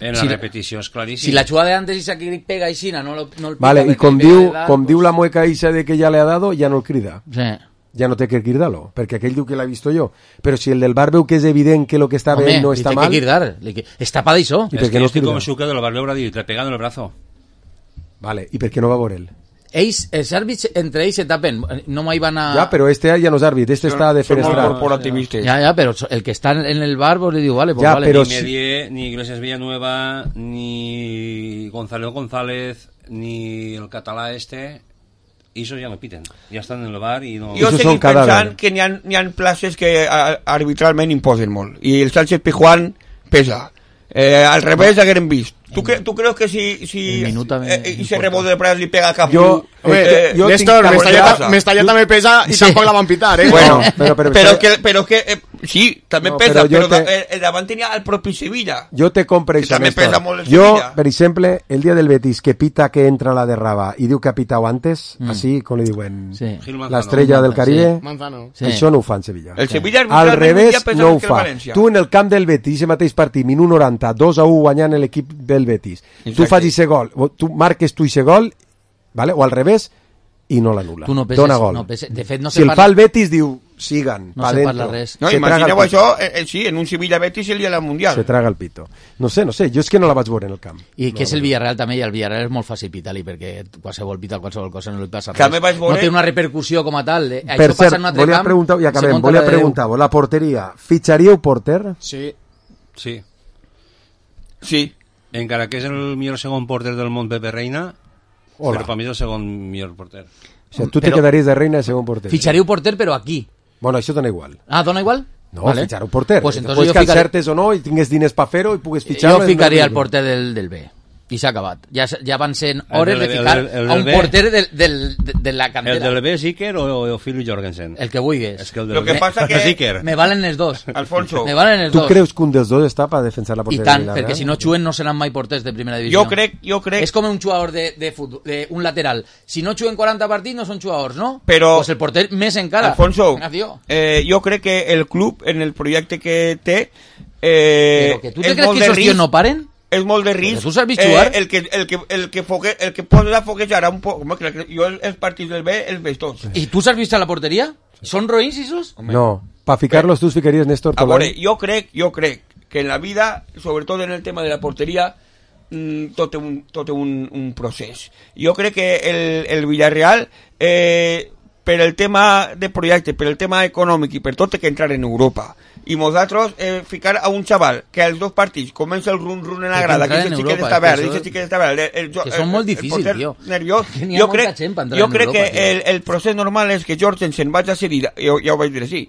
H: En la
F: si,
H: repetició és claríssim.
F: Si la jugada de antes i s'ha pega aixina, no, lo, no el pica.
D: Vale, i com diu,
F: dar,
D: com
F: pues...
D: diu la mueca isa de que ja le ha dado, ja no el crida.
F: Sí.
D: Ja no té que cridar-lo, perquè aquell diu que l'ha vist jo. Però si el del bar veu que és evident que lo que està bé no està mal...
F: Home, li té que cridar, està pa d'això.
H: És que no estic convençut que del bar l'haurà dit, le pegan en el brazo.
D: Vale, i per què no va veure ell?
F: Ells, els àrbits entre ells se tapen, no mai van a...
D: Ja, però este ja no és àrbit, este està defenestrat.
F: Ja, ja, però el que està en el bar pues, li diu, vale, pues
D: ja,
F: vale.
D: Però
H: ni Medier, si... ni Iglesias Villanueva, ni Gonzalo González, ni el català este, esos ja no piten, ja estan en el bar i no...
G: Jo seguim pensant que n'hi ha, n'hi ha places que arbitralment imposen molt, i el Sánchez Pizjuán pesa. Eh, al revés hagueren vist. ¿Tú, cre ¿Tú crees que si, si eh, y se rebote de Prat li pega a cap?
E: Yo, eh, yo Néstor, Mestalla també pesa i sí. Tampoc la van pitar, eh?
G: Bueno, però, però, però, que, però que eh, sí, també no, pesa, però, però te... el davant tenia el propi Sevilla.
D: Jo te compre això, Néstor. Jo, per exemple, el dia del Betis que pita que entra la de Raba i diu que ha pitado antes, mm. así, com li diuen, sí. l'estrella del Caribe, sí. Això no ho fa en Sevilla.
G: El Sevilla
D: al revés no ho fa. Tu en el camp del Betis, el mateix partit, minut noranta, dos a u guanyant l'equip del Betis. Exacte. Tu facis ese gol, tu marques tu ese gol, vale? O al revés, i no l'anul·la.
F: No
D: dona gol.
F: No pese, de fet, no
D: si el parla... fa el Betis, diu, sigan,
F: no
D: pa dentro.
G: No, imagineu això, eh, sí, en un Sevilla-Betis el dia del Mundial.
D: Se traga el pito. No sé, no sé, jo és que no la vaig veure en el camp.
F: I
D: no
F: que és el Villarreal també, i el Villarreal és molt fàcil pitar-li, perquè qualsevol pita, qualsevol cosa no li passa res.
G: També vaig veure...
F: No té una repercussió com a tal. Eh?
D: Per això cert, volia preguntar, i acabem, volia preguntar-vos, la porteria, fitxaríeu porter?
E: Sí.
H: Sí.
G: Sí.
H: Encara que és el millor segon porter del món, Pepe Reina, Hola. Però per mi és el segon millor porter.
D: O sigui, tu però, te quedaries de Reina de segon porter.
F: Fitxaríeu porter, però aquí.
D: Bueno, això dona igual.
F: Ah, dona igual?
D: No, vale. Fitxar un porter.
F: Pues
D: entonces Después que ficaré... encertes o no, i tingues diners per fer-ho i pugues fitxar...
F: Jo ficaria el porter del, del B. I s'ha acabat. Ja, ja van ser hores
H: el,
F: de ficar
H: el, el, el
F: a un
H: B,
F: porter de, de, de, de la cantera.
H: El del B, Zicker o, o Phil Jorgensen?
F: El que vulguis.
H: Es que el del
G: Lo que
H: B,
G: pasa que
H: Zicker.
F: Me valen els dos.
G: Alfonso.
F: Me valen els
D: tu
F: dos.
D: Tu creus que un dels dos està per defensar la porteria?
F: I tant, perquè si no xuen no seran mai porters de primera divisió.
G: Jo crec, jo crec...
F: És com un jugador de, de futbol, de un lateral. Si no xuen quaranta partits no són jugadors, no?
G: Però...
F: Pues el porter més encara.
G: Alfonso, eh, jo crec que el club, en el projecte que té... Eh,
F: Però que tu te creus que esos tios no paren?
G: És molt de risc.
F: Tu saps jugar?
G: Eh, el que el que el que fogue, el que posa foguejar un poc, com que jo els partits del B els veig tots.
F: I tu saps vist a la porteria? Són roïns esos?
D: No, para ficarlos tu ficaries Néstor
G: Tolán. A veure, jo crec, jo crec que en la vida, sobretot en el tema de la porteria, mmm, tot un tot un un procés. Jo crec que el el Villarreal eh per el tema de projecte, per el tema econòmic i per tot té que entrar en Europa. I nosaltres eh, ficar a un xaval que als dos partits comença el run-run en la grada, que aquest xiquet està verd, aquest xiquet està verd, el, el,
F: que són molt difícils, tio.
G: Nerviós. Jo crec, jo crec que el, el procés normal és que Jorgensen vagi a cedir, jo, ja ho vaig dir així,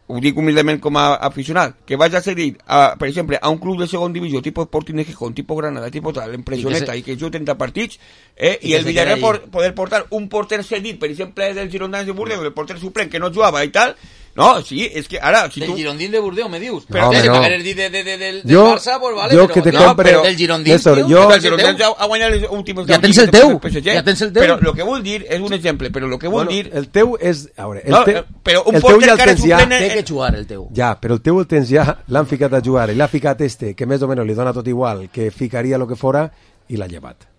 G: ho dic humilment com a aficionat, que vagi a cedir, a, per exemple, a un club de segon divisió, tipus Sporting de Gijón, tipus Granada, tipus tal, en pressioneta, i que, se... i que jugui trenta partits, eh, i, i el Villarreal por, poder portar un porter cedit, per exemple, del Girondins de Bordeaux, el porter suplent que no jugava i tal. No, sí, és que ara... Si
F: del
G: tu...
F: Girondín de Bordeaux, me dius.
D: Però
F: no,
D: si
F: no. M'hagueres dit de, de, de, de, del
D: jo,
F: Barça, pues vale,
D: jo
F: però...
D: Que te
F: no,
D: compre...
F: però del Girondín,
D: Néstor,
F: tio...
D: Jo...
G: El Girondins ha guanyat els últims...
F: Ja tens el teu, ja tens el teu.
G: Però el que vull dir és un exemple, però el que vull
D: bueno,
G: dir...
D: El teu és... A veure, el
G: no,
D: te...
G: però un
D: el
G: porter
D: ja
G: que ara
D: ja...
F: Té que jugar el teu.
D: Ja, però el teu el tens ja, l'han ficat a jugar, i l'ha ficat este, que més o menys li dona tot igual, que ficaria lo que fora, i l'ha llevat.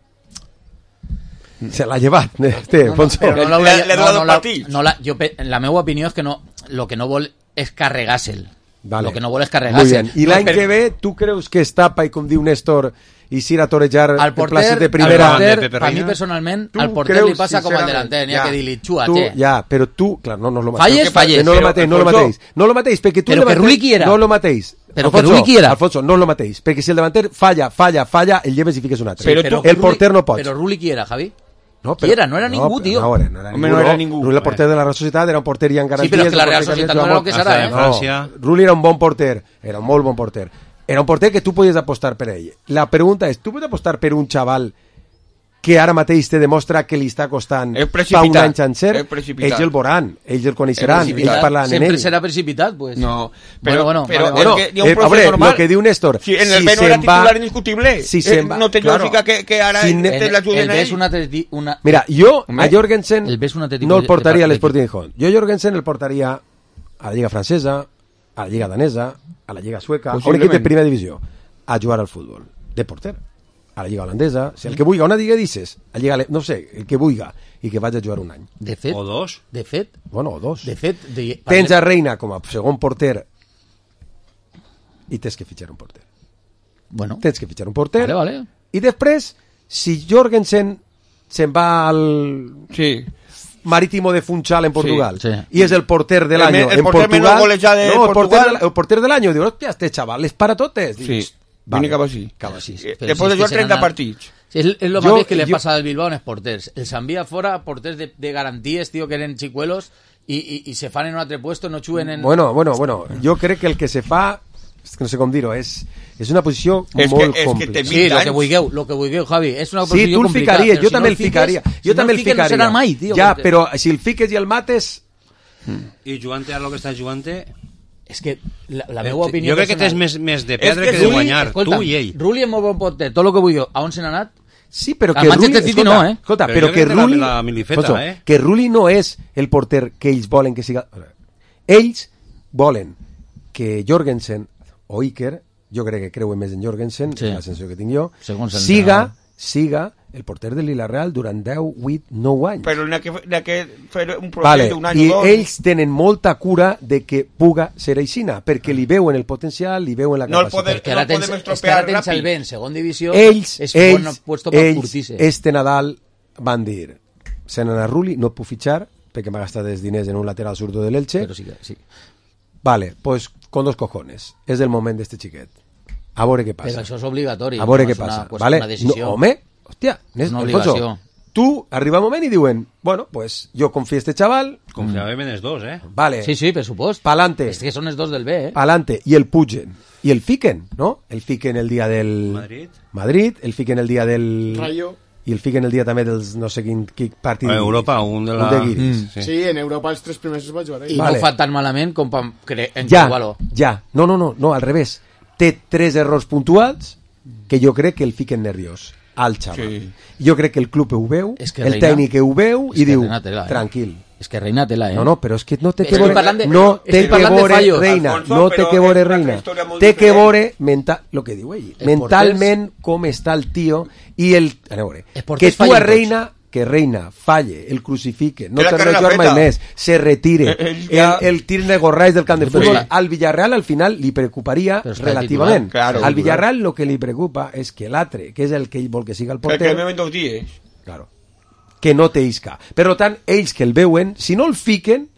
D: Se l'ha llevat, este, Alfonso.
F: No, no, no, no, no, no, la, no la, jo, la meva opinió és que no, lo que no vol és carregar-se'l.
D: Vale.
F: Lo que no vol és carregar-se'l.
D: I l'any no, per... que ve, tu creus que es tapa, i com diu Néstor, i s'ir a torejar
F: al porter,
D: places de primera...
F: Al porter, a mi personalment, al porter li passa com al delanter, n'hi ha que dir-li, xua,
D: tu,
F: che.
D: Ja, però tu, clar, no, no és lo
F: mateix. Falles, falles.
D: No lo mateix, no lo mateix. No lo mateix, perquè tu...
F: Però que Rulli quiera.
D: No lo mateix.
F: Però que Rulli quiera.
D: Alfonso, no lo mateix, perquè si el davanter falla, falla, falla, el lleves i fiques un altre.
F: Sí, però
D: el porter no pot.
F: Però Rulli quiera, Javi.
D: No,
F: però, quiera, no era
D: no,
F: ningú, tio.
D: No, no, no, era ningú,
G: no, no era ningú.
D: Rulli, el porter de la Real Societat, era un porter ja en garanties.
F: Sí, però que la Real Societat no era el que serà, eh?
D: No, Rulli era un bon porter, era un molt bon porter. era un porter que tu podies apostar per ell. La pregunta és, tu pots apostar per un xaval que ara mateix te demostra que li està costant fa un any sencer? Ells el veuran, ells el coneixeran, ells parlaran en ell.
F: Sempre serà precipitat, pues.
G: No, però,
F: bueno, bueno,
G: però
F: vale,
G: bueno,
F: bueno.
G: que hi ha un
D: Eh,
G: procés
D: hombre,
G: normal.
D: lo que diu Néstor,
G: si en el
D: si
G: B no era
D: se'n va-
G: titular indiscutible,
D: si
G: eh,
D: se'n va-
G: no té
D: claro.
G: lògica que, que ara
D: Si
G: si
D: ne-
G: te l'ajuden
F: El
G: a
F: B
G: ell.
F: és un atleti... Una...
D: Mira, jo
G: Home,
D: a Jorgensen
F: el B és un atlètic
D: no el
F: de-
D: portaria
F: de-
D: a l'Sporting de Gijón. Jo Jorgensen el portaria a la Lliga Francesa, a la Lliga Danesa, a la Lliga Sueca, a un equip de
G: Possiblement.
D: primera divisió, a jugar al futbol, de porter. A la Lliga Holandesa, si el que vulga, una Lliga dices, a Lliga, Ale- no sé, el que vulga, i que vaig a jugar un any.
F: De fet,
H: O dos.
F: de fet,
D: Bueno, o dos.
F: de fet... De...
D: Tens a Reina com a segon porter i tens que fitxar un porter.
F: Bueno.
D: Tens que fitxar un porter.
F: Vale, vale.
D: I després, si Jorgensen se'n va al
G: Sí.
D: Marítimo de Funchal en Portugal
F: Sí, sí.
D: y es el porter del
G: El
D: año
G: me- el
D: en
G: porter
D: Portugal,
G: menos golejado de
D: no, el porter,
G: Portugal.
D: del, el porter del año, digo, hostia, este chaval es para totes.
G: Sí,
D: Dius,
G: viene cap així.
D: Cap així.
G: Eh,
F: Però
G: Después
F: si
G: de
F: és
G: jugar
F: que
G: treinta
F: seran-
G: partits.
F: Sí, es, es lo
D: Yo-
F: más que le
D: yo-
F: pasa al Bilbao en els porters. Els envía fora porters de, de garanties, tío, que eren chicuelos i, i, i se fan en un altre puesto, no juguen en...
D: Bueno, bueno, bueno, jo crec que el que se fa, és que no sé com dir-ho, és, és una posició
G: És que-
D: molt
G: és que
D: complicada.
G: te-
F: Sí, lo que
G: anys.
F: vulgueu, lo que vulgueu, Javi. És una
D: Sí,
F: posició
D: tu el
F: complicada,
D: ficaries,
F: però
D: jo
F: si
D: també
F: no
D: el ficaria.
F: fiques-
D: Jo
F: si no
D: també
F: el
D: el
F: fiques,
D: ficaria.
F: No serà mai, tio.
D: Ja,
F: perquè-
D: però si el fiques i el mates...
H: I jugant a lo que estàs jugant...
F: És que la, la meva opinió...
H: Jo crec que tens
F: personal-
H: més, més de
G: És
H: perdre
G: que
H: que de
G: Rulli-
H: guanyar,
F: Escolta'm,
H: tu i ell.
F: Rulli és molt bon porter, tot el que vulgueu. A on se n'ha anat?
D: Sí, però
F: Al
D: que
F: Manchester
D: Rulli...
F: City
D: escolta,
F: no, eh?
D: Escolta,
H: Però
D: però
H: jo
D: que
H: crec que la-
D: Rulli...
H: la milifeta,
D: escolta,
H: eh?
D: que Rulli no és el porter que ells volen que siga... Ells volen que Jorgensen o Iker, jo crec que creuen més en Jorgensen,
F: Sí.
D: és la sensació que tinc jo,
F: Segons el
D: siga,
F: entrenador.
D: siga el porter de Lila Real durant deu, vuit, nou anys.
G: Però n'ha que, n'ha que fer un procés
D: Vale,
G: d'un any
D: i
G: o dos.
D: ells tenen molta cura de que puga ser aixina, perquè li veuen el potencial, li veuen la
G: No el
D: capacitat.
G: podem-
F: Que ara
G: no
F: tens,
G: podem
F: és que
G: estropear
F: ara tens el
G: ràpid.
F: B en segon divisió,
D: ells,
F: és
D: ells,
F: bon puesto per
D: ells
F: curtir-se.
D: este Nadal van dir se n'anà Rulli, no et puc fitxar perquè m'ha gastat els diners en un lateral zurdo de l'Elche.
F: Però sí que sí.
D: Vale, pues con dos cojones. És el moment d'este xiquet. A veure què passa.
F: Però això és obligatori.
D: A veure
F: no
D: què
F: és una,
D: passa.
F: pues,
D: Vale?
F: una decisió.
D: No, home, hòstia,
F: És una
D: Alfonso,
F: obligació.
D: tu arriba un moment i diuen, bueno, pues jo confio en este chaval,
H: Confiàvem en els dos, eh?
D: vale,
F: Sí, sí, per supost.
D: pa'lante,
F: És que són els dos del B, eh?
D: pa'lante, i el pugen, i el fiquen, no? El fiquen el dia del...
H: Madrid.
D: Madrid, el fiquen el dia del...
E: Rayo.
D: I el fiquen el dia també dels no sé quin, quin partit.
H: A Europa, un de la...
D: Un de guiris.
H: Mm, sí.
E: Sí, en Europa els tres primers es va jugar
F: I
E: ell.
D: Vale.
F: no fa tan malament com per cre... en
D: Ja,
F: Igualo.
D: ja. No, no, no, no, al revés. Té tres errors puntuals que jo crec que el fiquen nerviós al xaval.
G: Sí.
D: Jo crec que el club ho veu,
F: És que
D: el
F: Reina-
D: tècnic ho veu
F: és
D: i
F: que
D: diu,
F: Reina tela, eh?
D: tranquil.
F: És que Reina tela, eh?
D: No, no, però és que no té que
F: Estic
D: veure,
F: parlant de-
D: no
F: estic
D: té que
F: parlant de
D: veure
F: fallos.
D: Reina,
G: Alfonso,
D: no té
G: però
D: que veure
G: és una
D: Reina,
G: història molt
D: té que
G: diferent.
D: veure mental, lo que diu ell,
F: Els
D: mentalment com està el tio i el, a veure,
F: Els porters
D: que tu a
F: fallen tots.
D: Reina que Reina falle, el crucifique, no
G: Té la
D: te
G: carrera
D: rejugar mai
G: feta.
D: més, se retire,
G: Eh, ell ja-
D: el, el tir de gorrais del camp de
F: Però
D: futbol,
F: sí.
D: al Villarreal al final li preocuparia
F: Però està
D: relativament.
G: titular, claro.
D: Al Villarreal lo que li preocupa és que l'altre, que és el que ell vol que siga el
G: Perquè
D: porter,
G: el veuen dos dies.
D: claro, que no té isca. Per tant, ells que el veuen, si no el fiquen,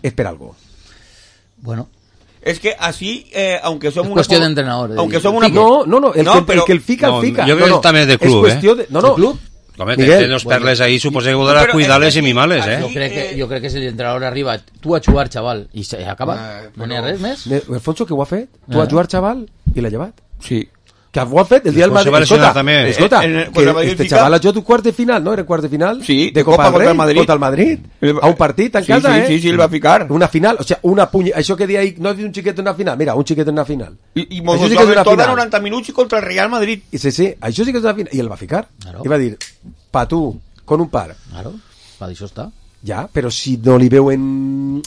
D: és per algo.
F: Bueno,
G: Es que así, eh, aunque somos
F: Es
G: una...
F: cuestión
G: po-
F: de entrenador, de
G: Aunque
F: dir,
G: somos una...
D: No, no, no, el,
G: No,
D: que,
G: però-
D: el que el fica,
H: No,
D: el fica.
H: jo crec
D: no, no,
H: que també és de
D: és
H: club,
D: qüestió
H: eh?
D: de... No, no,
F: ¿De club?
H: Home,
D: Miguel,
H: té dos perles ahí, suposo que voldrà
G: Però
H: cuidar-les
G: és
H: i
G: que
H: mimar-les, eh?
F: jo crec, que, jo crec que si l'entrenador arriba, tu a jugar, xaval, i se acaba,
G: Ah,
F: no n'hi ha res més.
D: Ne- Alfonso, que ho ha fet? Tu
F: Ah.
D: has jugat, xaval, i l'ha llevat.
G: Sí.
D: Que ho ha fet el dia del
H: Després se
D: Madrid.
H: va lesionar
D: Escolta,
H: també.
D: escolta,
G: En el-
D: que
G: contra el Madrid
D: este
G: fica-
D: xaval ha jugat un quart de final, no? Era quart de final?
G: Sí,
D: de
G: de
D: Copa
G: Copa
D: del
G: contra
D: Rei,
G: el Madrid.
D: contra el Madrid.
G: El-
D: A un partit en
G: Sí,
D: casa,
G: sí,
D: eh?
G: sí, sí, el va ficar.
D: Una final, o sea, una punya... Això que dia ahí, no has dit un xiquet en una final? Mira, un xiquet en una final.
G: I, i mos
D: Això sí
G: sí
D: que és una
G: tota
D: final.
G: noranta minuts contra el Real Madrid.
D: I sí, sí, això sí que és una final. I el va ficar.
F: Claro.
D: I va dir, pa tu, con un par.
F: Claro, per això està.
D: Ja, però si no li veuen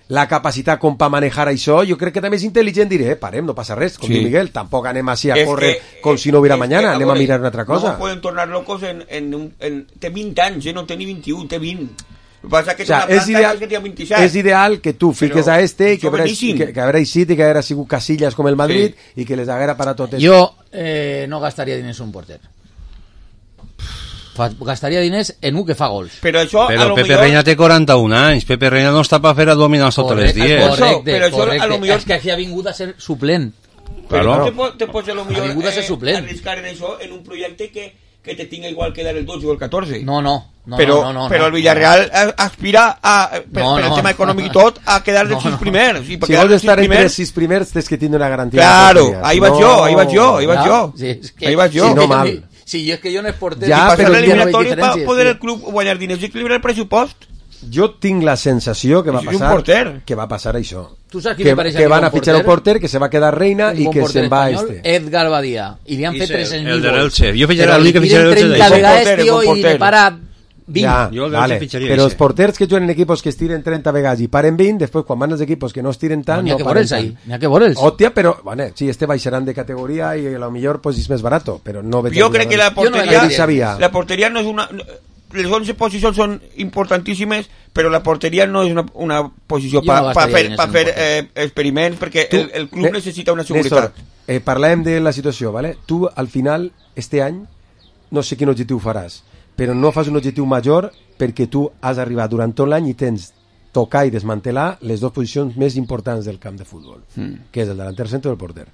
D: la capacitat com per manejar això, jo crec que també és intel·ligent dir, eh, parem, no passa res, com
G: Sí.
D: diu Miguel, tampoc anem així a
G: Es
D: córrer
G: que-
D: com si no hubiera
G: es
D: mañana,
G: que,
D: anem a
G: veure,
D: mirar una altra cosa.
G: No nos pueden tornar locos en... en, un- en té vint anys, eh? No té ni vint-i-u, té vint. El que passa és que
D: O sea,
G: és una
D: és
G: planta
D: ideal,
G: que té vint-i-set.
D: és ideal que tu fiques
G: Però
D: a este i que,
G: són
D: haurà,
G: boníssim.
D: que, que haurà eixit i que haurà sigut Casillas com el Madrid i que les haguera parat totes.
F: Jo eh, no gastaria diners en un porter. Fa, gastaria diners en un que fa gols.
G: Però això, a
H: Però
G: lo
H: Pepe
G: millor...
H: Reina té quaranta-un anys. Pepe Reina no està per fer abdominals tots els dies.
F: Correcte,
G: Però això,
F: correcte.
G: a lo millor-
F: És que aquí ha vingut a ser suplent.
G: Però
H: Claro.
G: te, po- te pots a lo millor
F: Ha vingut a ser suplent.
G: arriscar en això en un projecte que, que te tenga igual quedar el doce o el catorce.
F: No, no. No,
G: pero,
F: no, no,
G: pero
F: no,
G: el Villarreal
F: no.
G: aspira a, per,
F: no,
G: per el
F: no.
G: tema econòmic i tot, a quedar dels
F: No,
G: sis
F: no.
G: primers. I
D: Si vols estar entre els sis primers, tens que tindre una garantia.
G: Claro,
D: de
G: ahí vas jo, ahí vas jo, ahí vas jo.
F: Sí, és que,
G: Ahí vas jo.
F: sí,
D: No
F: que
D: mal.
F: mi- Sí, és que jo no és porter.
D: Ja,
G: I passar
D: però
G: l'eliminatori
F: ja no
G: per
F: veig
G: poder el
F: diferències,
G: club guanyar diners i equilibrar el pressupost.
D: Jo tinc la sensació que va
G: És un
D: passar
G: porter.
D: que va passar això.
F: Tu saps qui
D: que,
F: me pareix a
D: que
F: mi
D: van
F: bon
D: a fitxar un
F: porter?
D: porter que se va quedar reina
F: Un
D: i
F: bon
D: que
F: porter
D: se'n va
F: espanyol,
D: este.
F: Edgar Badia. I li han fet
H: Ese,
F: tres cents mil
H: el del
F: gols.
H: Elche. Jo fitxaré
F: Però
H: l'únic que
F: li
H: fitxaré
F: tiren
H: el Elche
F: trenta
H: de
F: vegades,
G: porter,
F: tio,
G: bon
F: i
G: porter.
F: ne para vint.
D: Ja,
H: Jo el del
D: vale.
H: Elche fitxaria
D: Però
H: ese.
D: els porters que juguen en equipos que es tiren trenta vegades i paren vint, després quan van els equipos que no es tiren tant,
F: No, n'hi ha
D: no,
F: que
D: paren
F: veure'ls
D: tant.
F: ahí, n'hi ha que veure'ls.
D: Hòstia, però, bueno, sí, este baixaran de categoria i a lo millor pues, és més barato, però no...
G: Jo crec que la porteria,
D: no sabia.
G: la porteria no és una... Les onze posicions són importantíssimes, però la porteria no és una, una posició
F: Jo
G: per
F: no
G: pa, pa
F: gastaria
G: fer,
F: diners
G: pa
F: en
G: fer
F: un
G: eh, experiments, perquè
D: Tu,
G: el, el club
D: Ne-
G: necessita una
D: Néstor,
G: seguretat.
D: eh, parlem de la situació, ¿vale? Tu, al final, este any, no sé quin objectiu faràs, però no fas un objectiu major perquè tu has arribat durant tot l'any i tens tocar i desmantelar les dues posicions més importants del camp de futbol,
G: Mm.
D: que és el delanter centre i el porter.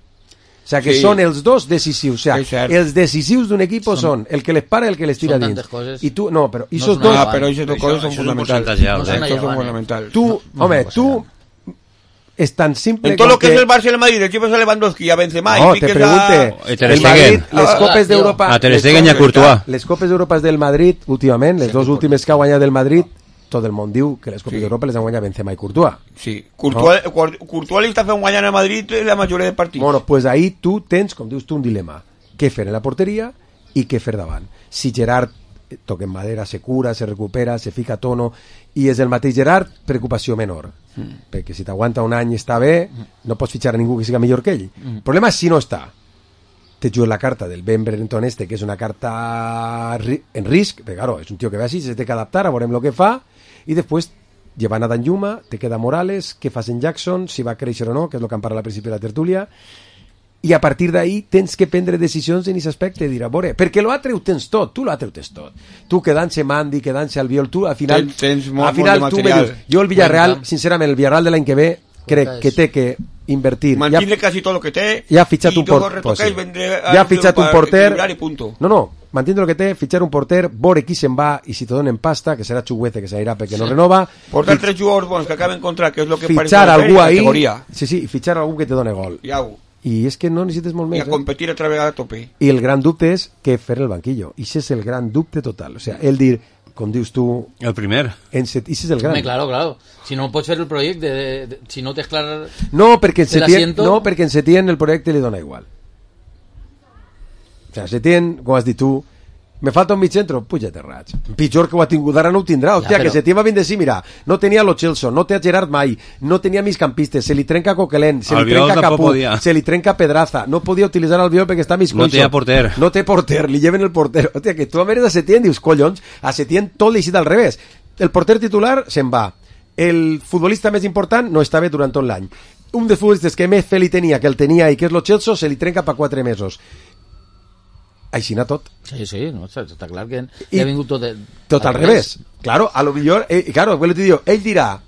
D: O sea, que
G: Sí.
D: són els dos decisius. O sea,
G: És cert.
D: els decisius d'un equip són,
F: Són-
D: el que les para i el que les tira
F: són
D: dins.
F: tantes coses.
D: I tu, no, però
F: No
D: esos
F: són
D: dos...
G: Ah, però aquestes dues coses són
H: això és un
G: fonamentals.
H: percentatge alt,
F: No
H: eh?
F: són
G: Això són
F: allà,
G: fonamentals.
D: Tu,
F: No,
D: home,
F: no passa
D: tu... És tan simple
G: En tot
D: com
G: lo que és el Barça i el Madrid, el equip és a Lewandowski, a Benzema,
D: No,
G: i
D: te
G: fiques
D: pregunte,
H: Eh, Ter
D: el Madrid,
H: Stegen.
D: les
F: Ah,
D: Copes
F: tio.
D: d'Europa...
H: A Ter
D: les
H: Stegen i a
D: Copes-
H: Courtois.
D: Les Copes d'Europa del Madrid, últimament, les dues últimes que ha guanyat del Madrid, tot el món diu que les Copes
G: Sí.
D: d'Europa les han guanyat Benzema i Courtois.
G: Sí, Courtois, Courtois li està fent guanyar a Madrid la majoria de partits.
D: Bueno, pues ahí tu tens, com dius tu, un dilema. Què fer en la porteria i què fer davant. Si Gerard, eh, toca en madera, se cura, se recupera, se fica a tono, i és el mateix Gerard, preocupació menor. Mm. Perquè si t'aguanta un any i està bé, no pots fitxar a ningú que siga millor que ell. Mm. El problema és si no està. Te jugues la carta del Ben Brenton este, que és una carta ri- en risc, perquè claro, és un tio que ve així, se té que adaptar, a veurem el que fa, i després llevant a Dan Lluma, te queda Morales, què fas en Jackson, si va créixer o no, que és el que em parla al principi de la tertúlia, i a partir d'ahí tens que prendre decisions en aquest aspecte, dir, a veure, perquè l'altre ho tens tot, tu l'altre ho tens tot. Tu quedant-se Mandy, quedant-se Albiol, tu al final,
G: Tens- tens molt-
D: al final
G: molt de
D: tu me
G: material.
D: dius, jo el Villarreal,
F: Cuenta.
D: sincerament, el Villarreal de l'any que ve, crec que té que invertir.
G: Mantiene casi todo lo que té.
D: Ja ha fitxat
G: i
D: un
G: luego
D: porter.
G: retoca y vendré a-
D: Ja ha fitxat un
G: para
D: porter.
G: equilibrar y punto.
D: No, no, mantiene lo que té, fitxar un porter, veure qui se'n va i si te donen pasta, que serà Chuguete, que s'anirà perquè no
G: Sí.
D: renova.
G: Portar
D: Fitx-
G: tres jugadors bons que acaben contra, que és lo que
D: Fitxar
G: parece
D: algú
G: la
D: ahí.
G: categoria.
D: Sí, sí, fitxar algú que te done gol.
G: I au.
D: I és que no necessites molt
G: I
D: més.
G: a
D: Eh?
G: competir otra vegada a tope.
D: I el gran dubte és què fer el banquillo. I això és el gran dubte total. O sea, el dir, com dius tu...
H: El primer.
D: En set, i això és el gran.
F: Home, claro, claro. Si no pots fer el projecte, de, de, si no tens clar...
D: No, perquè en
F: de
D: Setién,
F: l'asiento-
D: no, perquè en Setién el projecte li dona igual. O sea, Setién, com has dit tu, me falta un mig centro, puja-te raig. Pitjor que ho ha tingut, ara no ho tindrà. Hòstia,
F: però-
D: que Setién va vindre així, mira, no tenia Lo Celso, no té a Gerard mai, no tenia migcampistes, se li trenca Coquelin, se li
H: Albiol
D: trenca
H: tampoc
D: Capú,
H: podia.
D: se li trenca Pedraza, no podia utilitzar Albiol perquè està mig
H: No
D: coixo.
H: tenia porter.
D: No té porter, li lleven el porter. Hòstia, que tu a veure a Setién dius, collons, a Setién tot li al revés. El porter titular se'n va. El futbolista més important no està bé durant tot l'any. Un dels futbolistes que més fe li tenia, que el tenia i que és Lo Celso, se li trenca per quatre mesos. Així anar tot.
F: Sí, sí, no, està, està clar que
D: I-
F: ha vingut tot... De,
D: Tot al revés. Claro, a lo millor, eh, claro, vuelvo te digo, ell dirà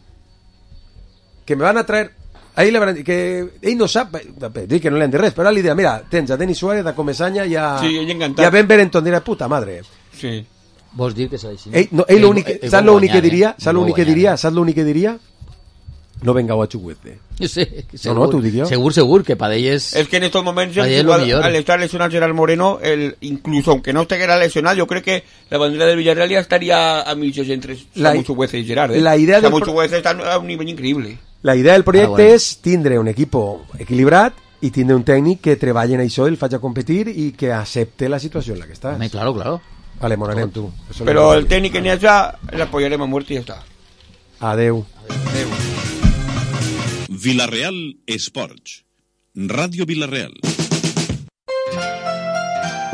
D: que me van a traer, ahí le van a, que ell no sap, eh, dir que no li han de res, però ara li dirà, mira, tens a Denis Suárez, a Comesaña i a,
G: Sí, ell encantat.
D: i a Ben Berenton, dirà, puta madre.
G: Sí.
F: Vols dir que s'ha deixat?
D: Ell, no, ell l'únic,
F: Ell- ell
D: saps
F: vol
D: l'únic que
F: guanyar,
D: diria?
F: eh?
D: Saps
F: Vol
D: l'únic que
F: guanyar,
D: diria? Saps l'únic que diria? No vengau a Chuguete.
F: Sí,
D: No,
F: segur,
D: no, t'ho dic jo.
F: Segur, segur, que per ell és...
G: Es que en estos momentos,
F: Ahí es
G: el
F: lo
G: jugador,
F: mejor.
G: al estar lesionado Gerard Moreno, el, incluso aunque no estuviera lesionado, yo creo que la bandera del Villarreal ya estaría a millas entre
D: La-
G: Samu Chuguete y Gerard. ¿eh?
D: la idea del
G: Samu
D: pro-
G: Chuguete está a un nivel increíble.
D: La idea del projecte
G: Ah, bueno.
D: és tindre un equip equilibrat i tindre un tècnic que treballi en això i el faci competir i que accepte la situació en la que estàs.
F: Home, claro, claro.
D: Vale, morarem tu. Eso es
G: Pero
D: lo
G: el
D: que-
G: técnico en esa le apoyaremos a muerte y ya está.
D: Adeu.
A: Villarreal Esports. Ràdio Villarreal.